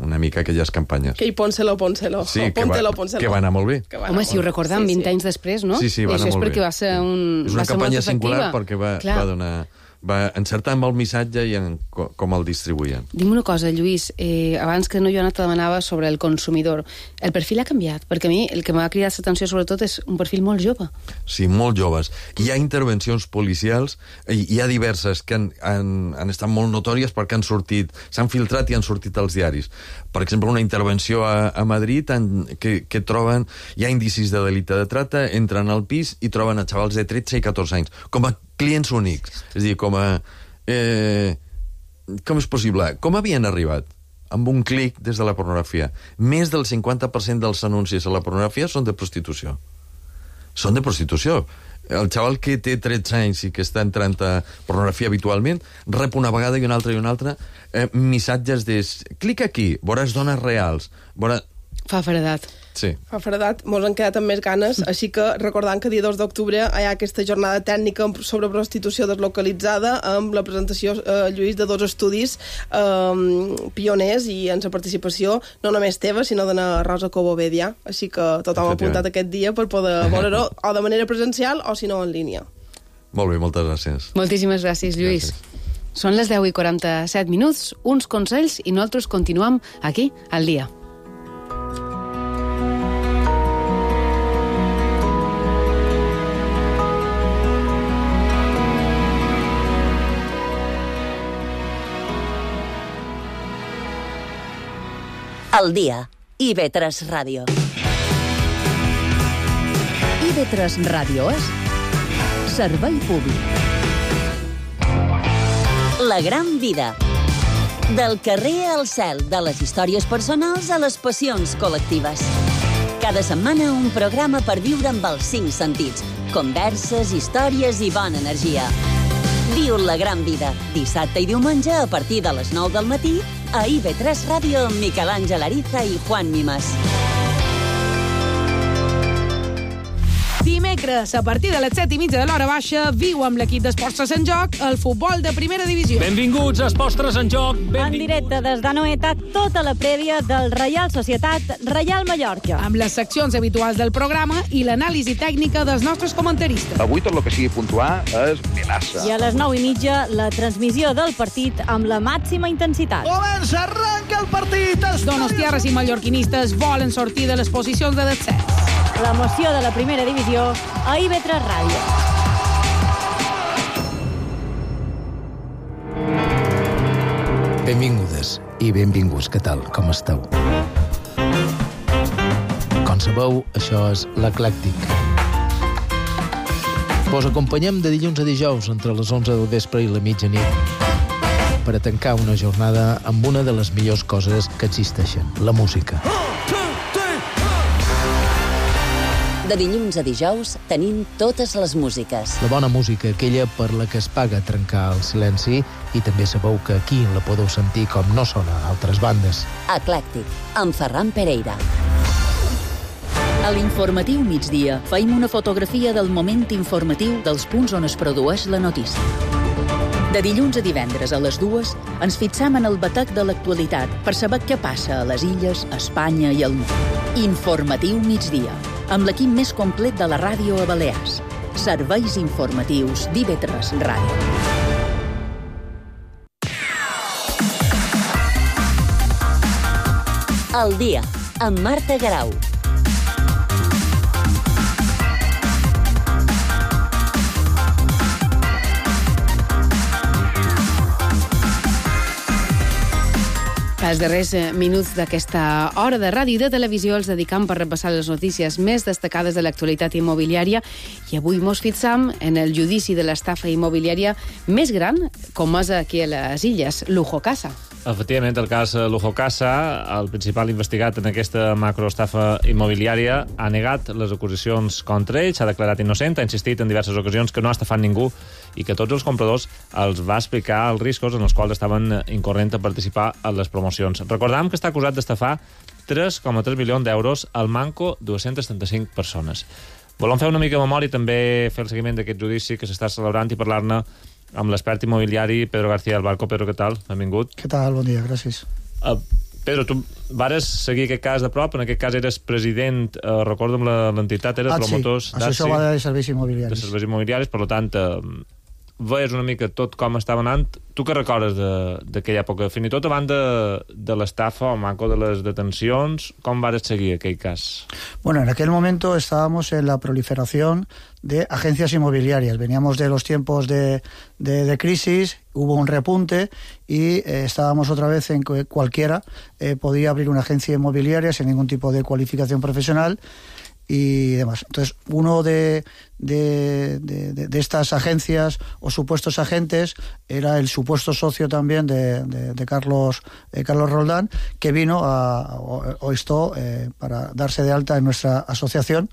una mica aquelles campanyes. Que hi pónselo, pónselo. Sí, que va, que va anar molt bé. Home, si ho recordem, sí, vint sí. anys després, no? Sí, sí, va anar això és molt perquè bé. Va ser un, és una va ser campanya singular efectiva. perquè va, Clar. va donar... va encertar amb el missatge i en com el distribuïen. Dime una cosa, Lluís, eh, abans que no Joana te demanava sobre el consumidor. El perfil ha canviat, perquè a mi el que m'ha cridat l'atenció sobretot és un perfil molt jove. Sí, molt joves. Hi ha intervencions policials, hi ha diverses que han, han, han estat molt notòries perquè han sortit, s'han filtrat i han sortit als diaris. Per exemple, una intervenció a, a Madrid en, que, que troben, hi ha indicis de delicte de trata, entren al pis i troben a xavals de tretze i catorze anys, com a clients únics. És a dir, com a... Eh, com és possible? Com havien arribat? Amb un clic des de la pornografia. Més del cinquanta per cent dels anuncis a la pornografia són de prostitució. Són de prostitució. El xaval que té tretze anys i que està entrant a pornografia habitualment rep una vegada i una altra i una altra eh, missatges de... Clica aquí, veuràs dones reals. Veuràs... Fa fredat. Sí. Fa fredat, mos han quedat amb més ganes, així que recordant que dia dos d'octubre hi ha aquesta jornada tècnica sobre prostitució deslocalitzada amb la presentació, eh, Lluís, de dos estudis eh, pioners i en la participació no només teva, sinó de la Rosa Cobovedia. Així que tothom ha apuntat aquest dia per poder veure-ho o de manera presencial o, si no, en línia. Molt bé, moltes gràcies. Moltíssimes gràcies, Lluís. Gràcies. Són les deu i quaranta-set minuts, uns consells i nosaltres continuem aquí al dia. Al dia. I ve tres Ràdio. I ve tres Ràdio és servei públic. La gran vida. Del carrer al cel, de les històries personals a les passions col·lectives. Cada setmana un programa per viure amb els cinc sentits. Converses, històries i bona energia. Viu la gran vida. Dissabte i diumenge a partir de les nou del matí a I ve tres Ràdio amb Miquel Àngel Ariza i Juan Mimas. Dimecres dimecres, a partir de les set i mitja de l'hora baixa, viu amb l'equip d'Esports en Joc el futbol de primera divisió. Benvinguts a Esports en Joc. En directe des d'Anoeta, tota la prèvia del Reial Societat Reial Mallorca. Amb les seccions habituals del programa i l'anàlisi tècnica dels nostres comentaristes. Avui tot el que sigui puntuar és melaça. I a les nou i mitja, la transmissió del partit amb la màxima intensitat. Comença, arranca el partit! Donostiarres i mallorquinistes volen sortir de les posicions de descens. L'emoció de la primera divisió a I B tres Ràdio. Benvingudes i benvinguts, què tal? Com esteu? Com sabeu, això és l'Eclèctic. Vos acompanyem de dilluns a dijous entre les onze del vespre i la mitjanit per a tancar una jornada amb una de les millors coses que existeixen, la música. De dilluns a dijous tenim totes les músiques. La bona música, aquella per la que es paga trencar el silenci, i també sabeu que aquí la podeu sentir com no sona a altres bandes. Eclèctic, amb Ferran Pereira. A l'informatiu migdia faim una fotografia del moment informatiu dels punts on es produeix la notícia. De dilluns a divendres a les dues ens fixam en el batec de l'actualitat per saber què passa a les illes, a Espanya i al món. Informatiu migdia, amb l'equip més complet de la ràdio a Balears. Serveis informatius d'I B tres Ràdio. El dia, amb Marta Garau. Els darrers minuts d'aquesta hora de ràdio i de televisió els dedicam per repassar les notícies més destacades de l'actualitat immobiliària i avui mos fixam en el judici de l'estafa immobiliària més gran, com és aquí a les Illes, Lujo Casa. Efectivament, el cas Lujo Casa, el principal investigat en aquesta macroestafa immobiliària, ha negat les acusacions contra ell, s'ha declarat innocent, ha insistit en diverses ocasions que no ha estafat ningú i que tots els compradors els va explicar els riscos en els quals estaven incorrent a participar en les promocions. Recordam que està acusat d'estafar tres coma tres milions d'euros al manco dues-centes trenta-cinc persones. Volem fer una mica de memòria i també fer el seguiment d'aquest judici que s'està celebrant i parlar-ne amb l'expert immobiliari Pedro García del Barco. Pedro, què tal? Benvingut. Què tal? Bon dia, gràcies. Uh, Pedro, tu vares seguir aquest cas de prop, en aquest cas eres president, uh, recordo amb l'entitat, eres ah, promotors sí. Això va de serveis immobiliaris. De serveis immobiliaris, per tant, uh, veies una mica tot com estava anant. Tu què recordes d'aquella època? Fins i tot abans de, de l'estafa o manco de les detencions, com vares seguir aquell cas? Bueno, en aquel momento estábamos en la proliferación de agencias inmobiliarias. Veníamos de los tiempos de, de, de crisis, hubo un repunte y eh, estábamos otra vez en que cualquiera eh, podía abrir una agencia inmobiliaria sin ningún tipo de cualificación profesional y demás. Entonces, uno de, de, de, de estas agencias o supuestos agentes era el supuesto socio también de, de, de Carlos, eh, Carlos Roldán, que vino a, o, o esto eh, para darse de alta en nuestra asociación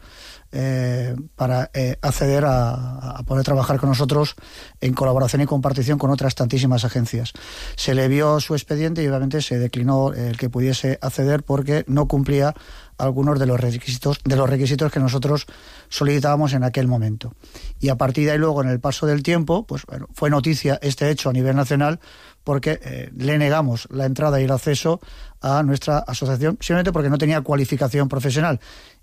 eh, para eh, acceder a, a poder trabajar con nosotros en colaboración y compartición con otras tantísimas agencias. Se le vio su expediente y obviamente se declinó el que pudiese acceder porque no cumplía algunos de los requisitos de los requisitos que nosotros solicitábamos en aquel momento. Y a partir de ahí luego, en el paso del tiempo, pues bueno, fue noticia este hecho a nivel nacional porque eh, le negamos la entrada y el acceso a nuestra asociación simplemente porque no tenía cualificación profesional.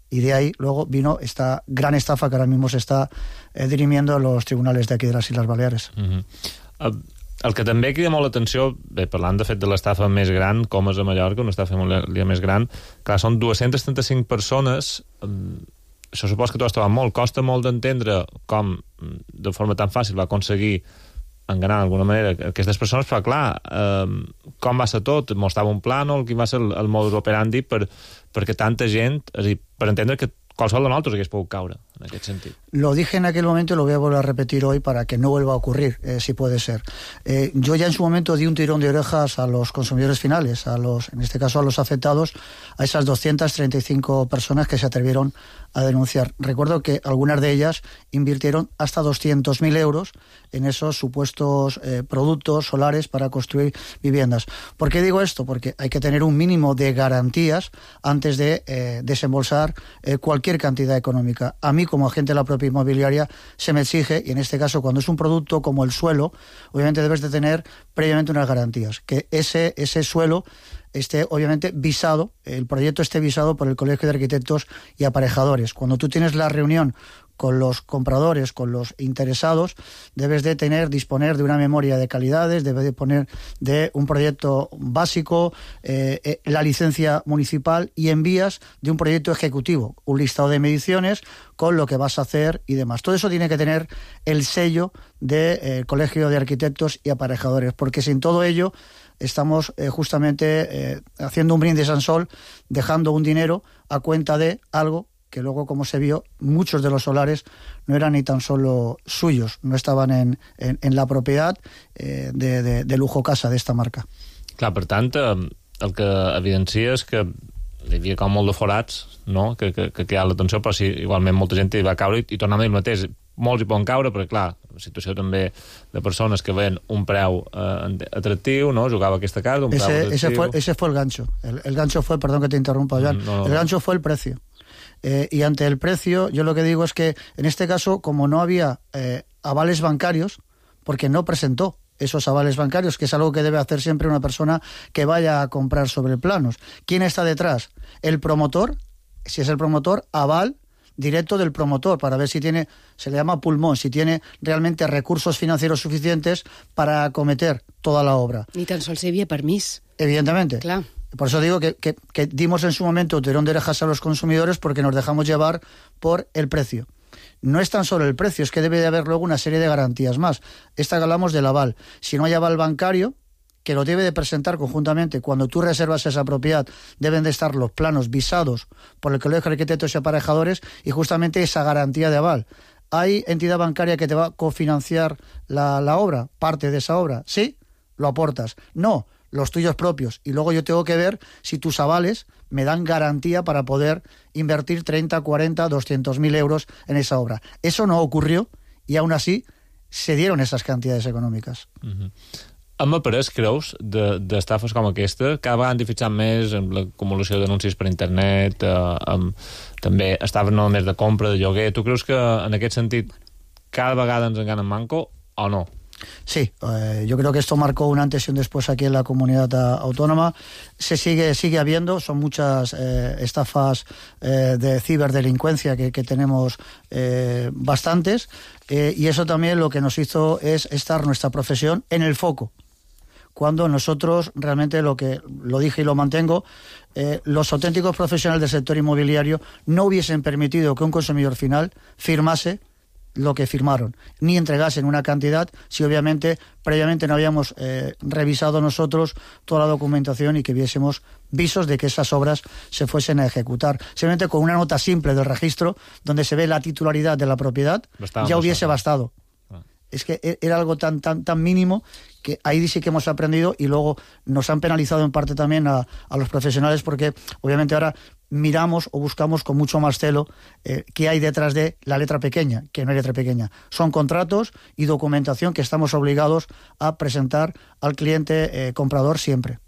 Y de ahí luego vino esta gran estafa que ahora mismo se está eh, dirimiendo en los tribunales de aquí de las Islas Baleares. Uh-huh. uh... El que també crida molt l'atenció, bé, parlant de fet de l'estafa més gran, com és a Mallorca, una estafa immobiliària més gran, clar, són dues-centes trenta-cinc persones, això supos que t'ho has trobat molt, costa molt d'entendre com de forma tan fàcil va aconseguir enganar d'alguna manera aquestes persones, però clar, eh, com va ser tot? Mostrava un plànol, quin va ser el, el modus operandi per, perquè tanta gent, és a dir, per entendre que qualsevol de nosaltres hagués pogut caure en aquest sentit. Lo dije en aquel momento y lo voy a volver a repetir hoy para que no vuelva a ocurrir, eh, si puede ser. Eh, yo ya en su momento di un tirón de orejas a los consumidores finales, a los, en este caso a los afectados, a esas doscientas treinta y cinco personas que se atrevieron a denunciar. Recuerdo que algunas de ellas invirtieron hasta doscientos mil euros en esos supuestos eh, productos solares para construir viviendas. ¿Por qué digo esto? Porque hay que tener un mínimo de garantías antes de eh, desembolsar eh, cualquier cualquier cantidad económica. A mí, como agente de la propia inmobiliaria, se me exige, y en este caso, cuando es un producto como el suelo, obviamente debes de tener previamente unas garantías, que ese, ese suelo esté obviamente visado, el proyecto esté visado por el Colegio de Arquitectos y Aparejadores. Cuando tú tienes la reunión con los compradores, con los interesados, debes de tener, disponer de una memoria de calidades, debes de poner de un proyecto básico, eh, eh, la licencia municipal y envías de un proyecto ejecutivo, un listado de mediciones con lo que vas a hacer y demás. Todo eso tiene que tener el sello del eh, Colegio de Arquitectos y Aparejadores, porque sin todo ello estamos eh, justamente eh, haciendo un brindis al sol, dejando un dinero a cuenta de algo que luego, como se vio, muchos de los solares no eran ni tan solo suyos, no estaven en, en, en la propietat eh, de, de, de Lujo Casa, d'esta marca. Clar, per tant, el que evidencia és que hi havia com molt de forats, no?, que, que, que quedava l'atenció, però sí, igualment molta gent hi va caure i, i tornant a dir el mateix. Molts hi poden caure, perquè, clar, la situació també de persones que ven un preu eh, atractiu, no?, jugava a aquesta casa, un preu ese, atractiu... Ese fue, ese fue el gancho. El, el gancho fue, perdón que te interrumpa, Joan, no, no, el gancho fue el precio. Eh, y ante el precio, yo lo que digo es que en este caso, como no había eh, avales bancarios, porque no presentó esos avales bancarios, que es algo que debe hacer siempre una persona que vaya a comprar sobre planos. ¿Quién está detrás? El promotor, si es el promotor, aval directo del promotor, para ver si tiene, se le llama pulmón, si tiene realmente recursos financieros suficientes para acometer toda la obra. Ni tan sols hi havia permís. Evidentemente. Clar. Por eso digo que, que, que dimos en su momento tirón de orejas a los consumidores porque nos dejamos llevar por el precio. No es tan solo el precio, es que debe de haber luego una serie de garantías más. Esta que hablamos del aval. Si no hay aval bancario, que lo debe de presentar conjuntamente, cuando tú reservas esa propiedad, deben de estar los planos visados por el Colegio de Arquitectos y Aparejadores y justamente esa garantía de aval. ¿Hay entidad bancaria que te va a cofinanciar la, la obra, parte de esa obra? Sí, lo aportas. No, los tuyos propios. Y luego yo tengo que ver si tus avales me dan garantía para poder invertir treinta, cuarenta, doscientos mil euros en esa obra. Eso no ocurrió y aún así se dieron esas cantidades econòmiques. Uh-huh. Hem après, creus, d'estafes com aquesta? Cada vegada han fixat més en l'acumulació d'anuncis per internet, eh, amb, també estaven no només de compra, de lloguer. Tu creus que en aquest sentit cada vegada ens enganen manco o no? Sí, eh, yo creo que esto marcó un antes y un después aquí en la comunidad autónoma. Se sigue sigue habiendo, son muchas eh, estafas eh, de ciberdelincuencia que, que tenemos eh, bastantes eh, y eso también lo que nos hizo es estar nuestra profesión en el foco. Cuando nosotros realmente, lo que lo dije y lo mantengo, eh, los auténticos profesionales del sector inmobiliario no hubiesen permitido que un consumidor final firmase lo que firmaron, ni entregasen una cantidad si obviamente previamente no habíamos eh, revisado nosotros toda la documentación y que viésemos visos de que esas obras se fuesen a ejecutar. Simplemente con una nota simple del registro donde se ve la titularidad de la propiedad Bastante ya hubiese bastado. Ah. Es que era algo tan, tan, tan mínimo que ahí sí que hemos aprendido y luego nos han penalizado en parte también a, a los profesionales porque obviamente ahora miramos o buscamos con mucho más celo eh, qué hay detrás de la letra pequeña, que no hay letra pequeña. Son contratos y documentación que estamos obligados a presentar al cliente eh, comprador siempre.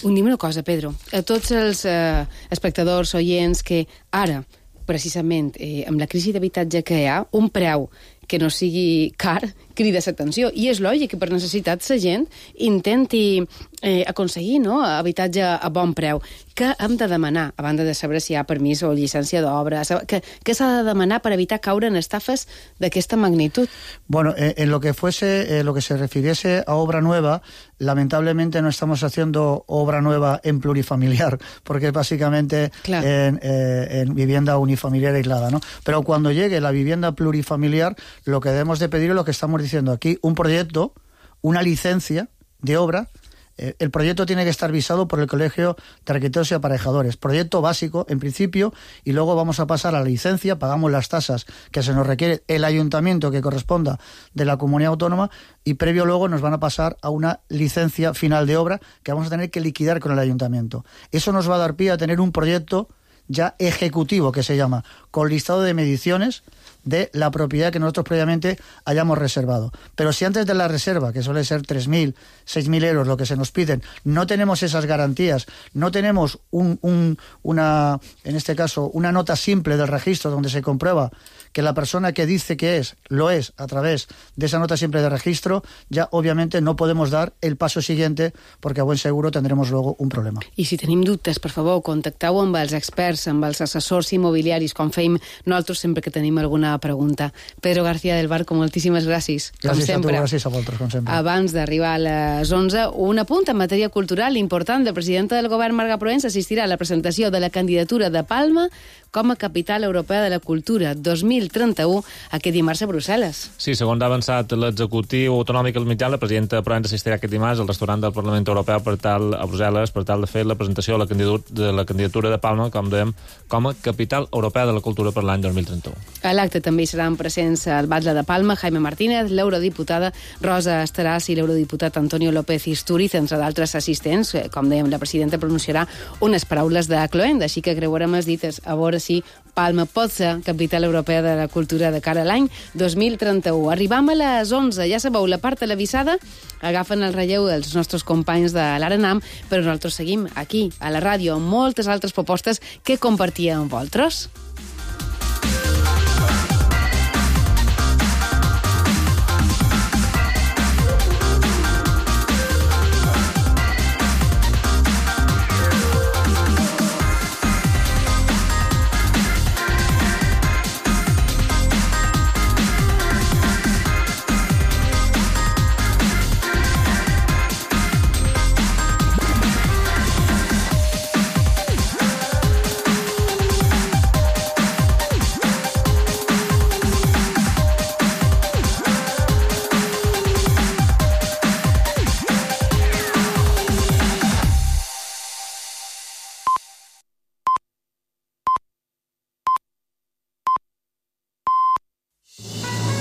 Dime una cosa, Pedro. A tots els eh, espectadors, oients, que ara, precisament, eh, amb la crisi d'habitatge que hi ha, un preu que no sigui car, crida l'atenció. I és lògic que per necessitat la gent intenti eh, aconseguir no, habitatge a bon preu. Què hem de demanar, a banda de saber si hi ha permís o llicència d'obra? Què s'ha de demanar per evitar caure en estafes d'aquesta magnitud? Bueno, eh, en lo que fuese, eh, lo que se refiriese a obra nueva, lamentablemente no estamos haciendo obra nueva en plurifamiliar, porque es básicamente claro. en, eh, en vivienda unifamiliar aislada, ¿no? Pero cuando llegue la vivienda plurifamiliar, lo que debemos de pedir es lo que estamos diciendo aquí, un proyecto, una licencia de obra. Eh, el proyecto tiene que estar visado por el Colegio de Arquitectos y Aparejadores. Proyecto básico, en principio, y luego vamos a pasar a la licencia, pagamos las tasas que se nos requiere el ayuntamiento que corresponda de la comunidad autónoma y previo luego nos van a pasar a una licencia final de obra que vamos a tener que liquidar con el ayuntamiento. Eso nos va a dar pie a tener un proyecto ya ejecutivo, que se llama, con listado de mediciones de la propiedad que nosotros previamente hayamos reservado. Pero si antes de la reserva, que suele ser tres mil, seis mil euros lo que se nos piden, no tenemos esas garantías, no tenemos un, un, una, en este caso, una nota simple del registro donde se comprueba que la persona que dice que es, lo es a través de esa nota simple de registro, ya obviamente no podemos dar el paso siguiente porque a buen seguro tendremos luego un problema. I si tenim dubtes, per favor, contacteu amb els experts, amb els assessors immobiliaris, com feim nosaltres sempre que tenim alguna pregunta. Pedro García del Barco, moltíssimes gràcies, com gràcies sempre. A tu, gràcies a vosaltres, com sempre. Abans d'arribar a les onze, un apunt en matèria cultural important. La presidenta del govern, Marga Proens, assistirà a la presentació de la candidatura de Palma com a capital europea de la cultura dos mil trenta-u aquest dimarts a Brussel·les. Sí, segons ha avançat l'executiu autonòmic al mitjà, la presidenta Proens assistirà aquest dimarts al restaurant del Parlament Europeu per tal, a Brussel·les per tal de fer la presentació de la candidatura de, la candidatura de Palma, com dèiem, com a capital europea de la cultura per l'any dos mil trenta-u. A l'acte també hi seran presents el batlle de Palma, Jaime Martínez, l'eurodiputada Rosa Estaràs i l'eurodiputat Antonio López Istúriz, entre d'altres assistents. Com dèiem, la presidenta pronunciarà unes paraules de cloent, així que creuarem les dites a veure si Palma pot ser capital europea de la cultura de cara a l'any dos mil trenta-u. Arribam a les onze, ja sabeu, la part televisada agafen el relleu dels nostres companys de l'Arenam, però nosaltres seguim aquí, a la ràdio, amb moltes altres propostes que compartíem amb vosaltres.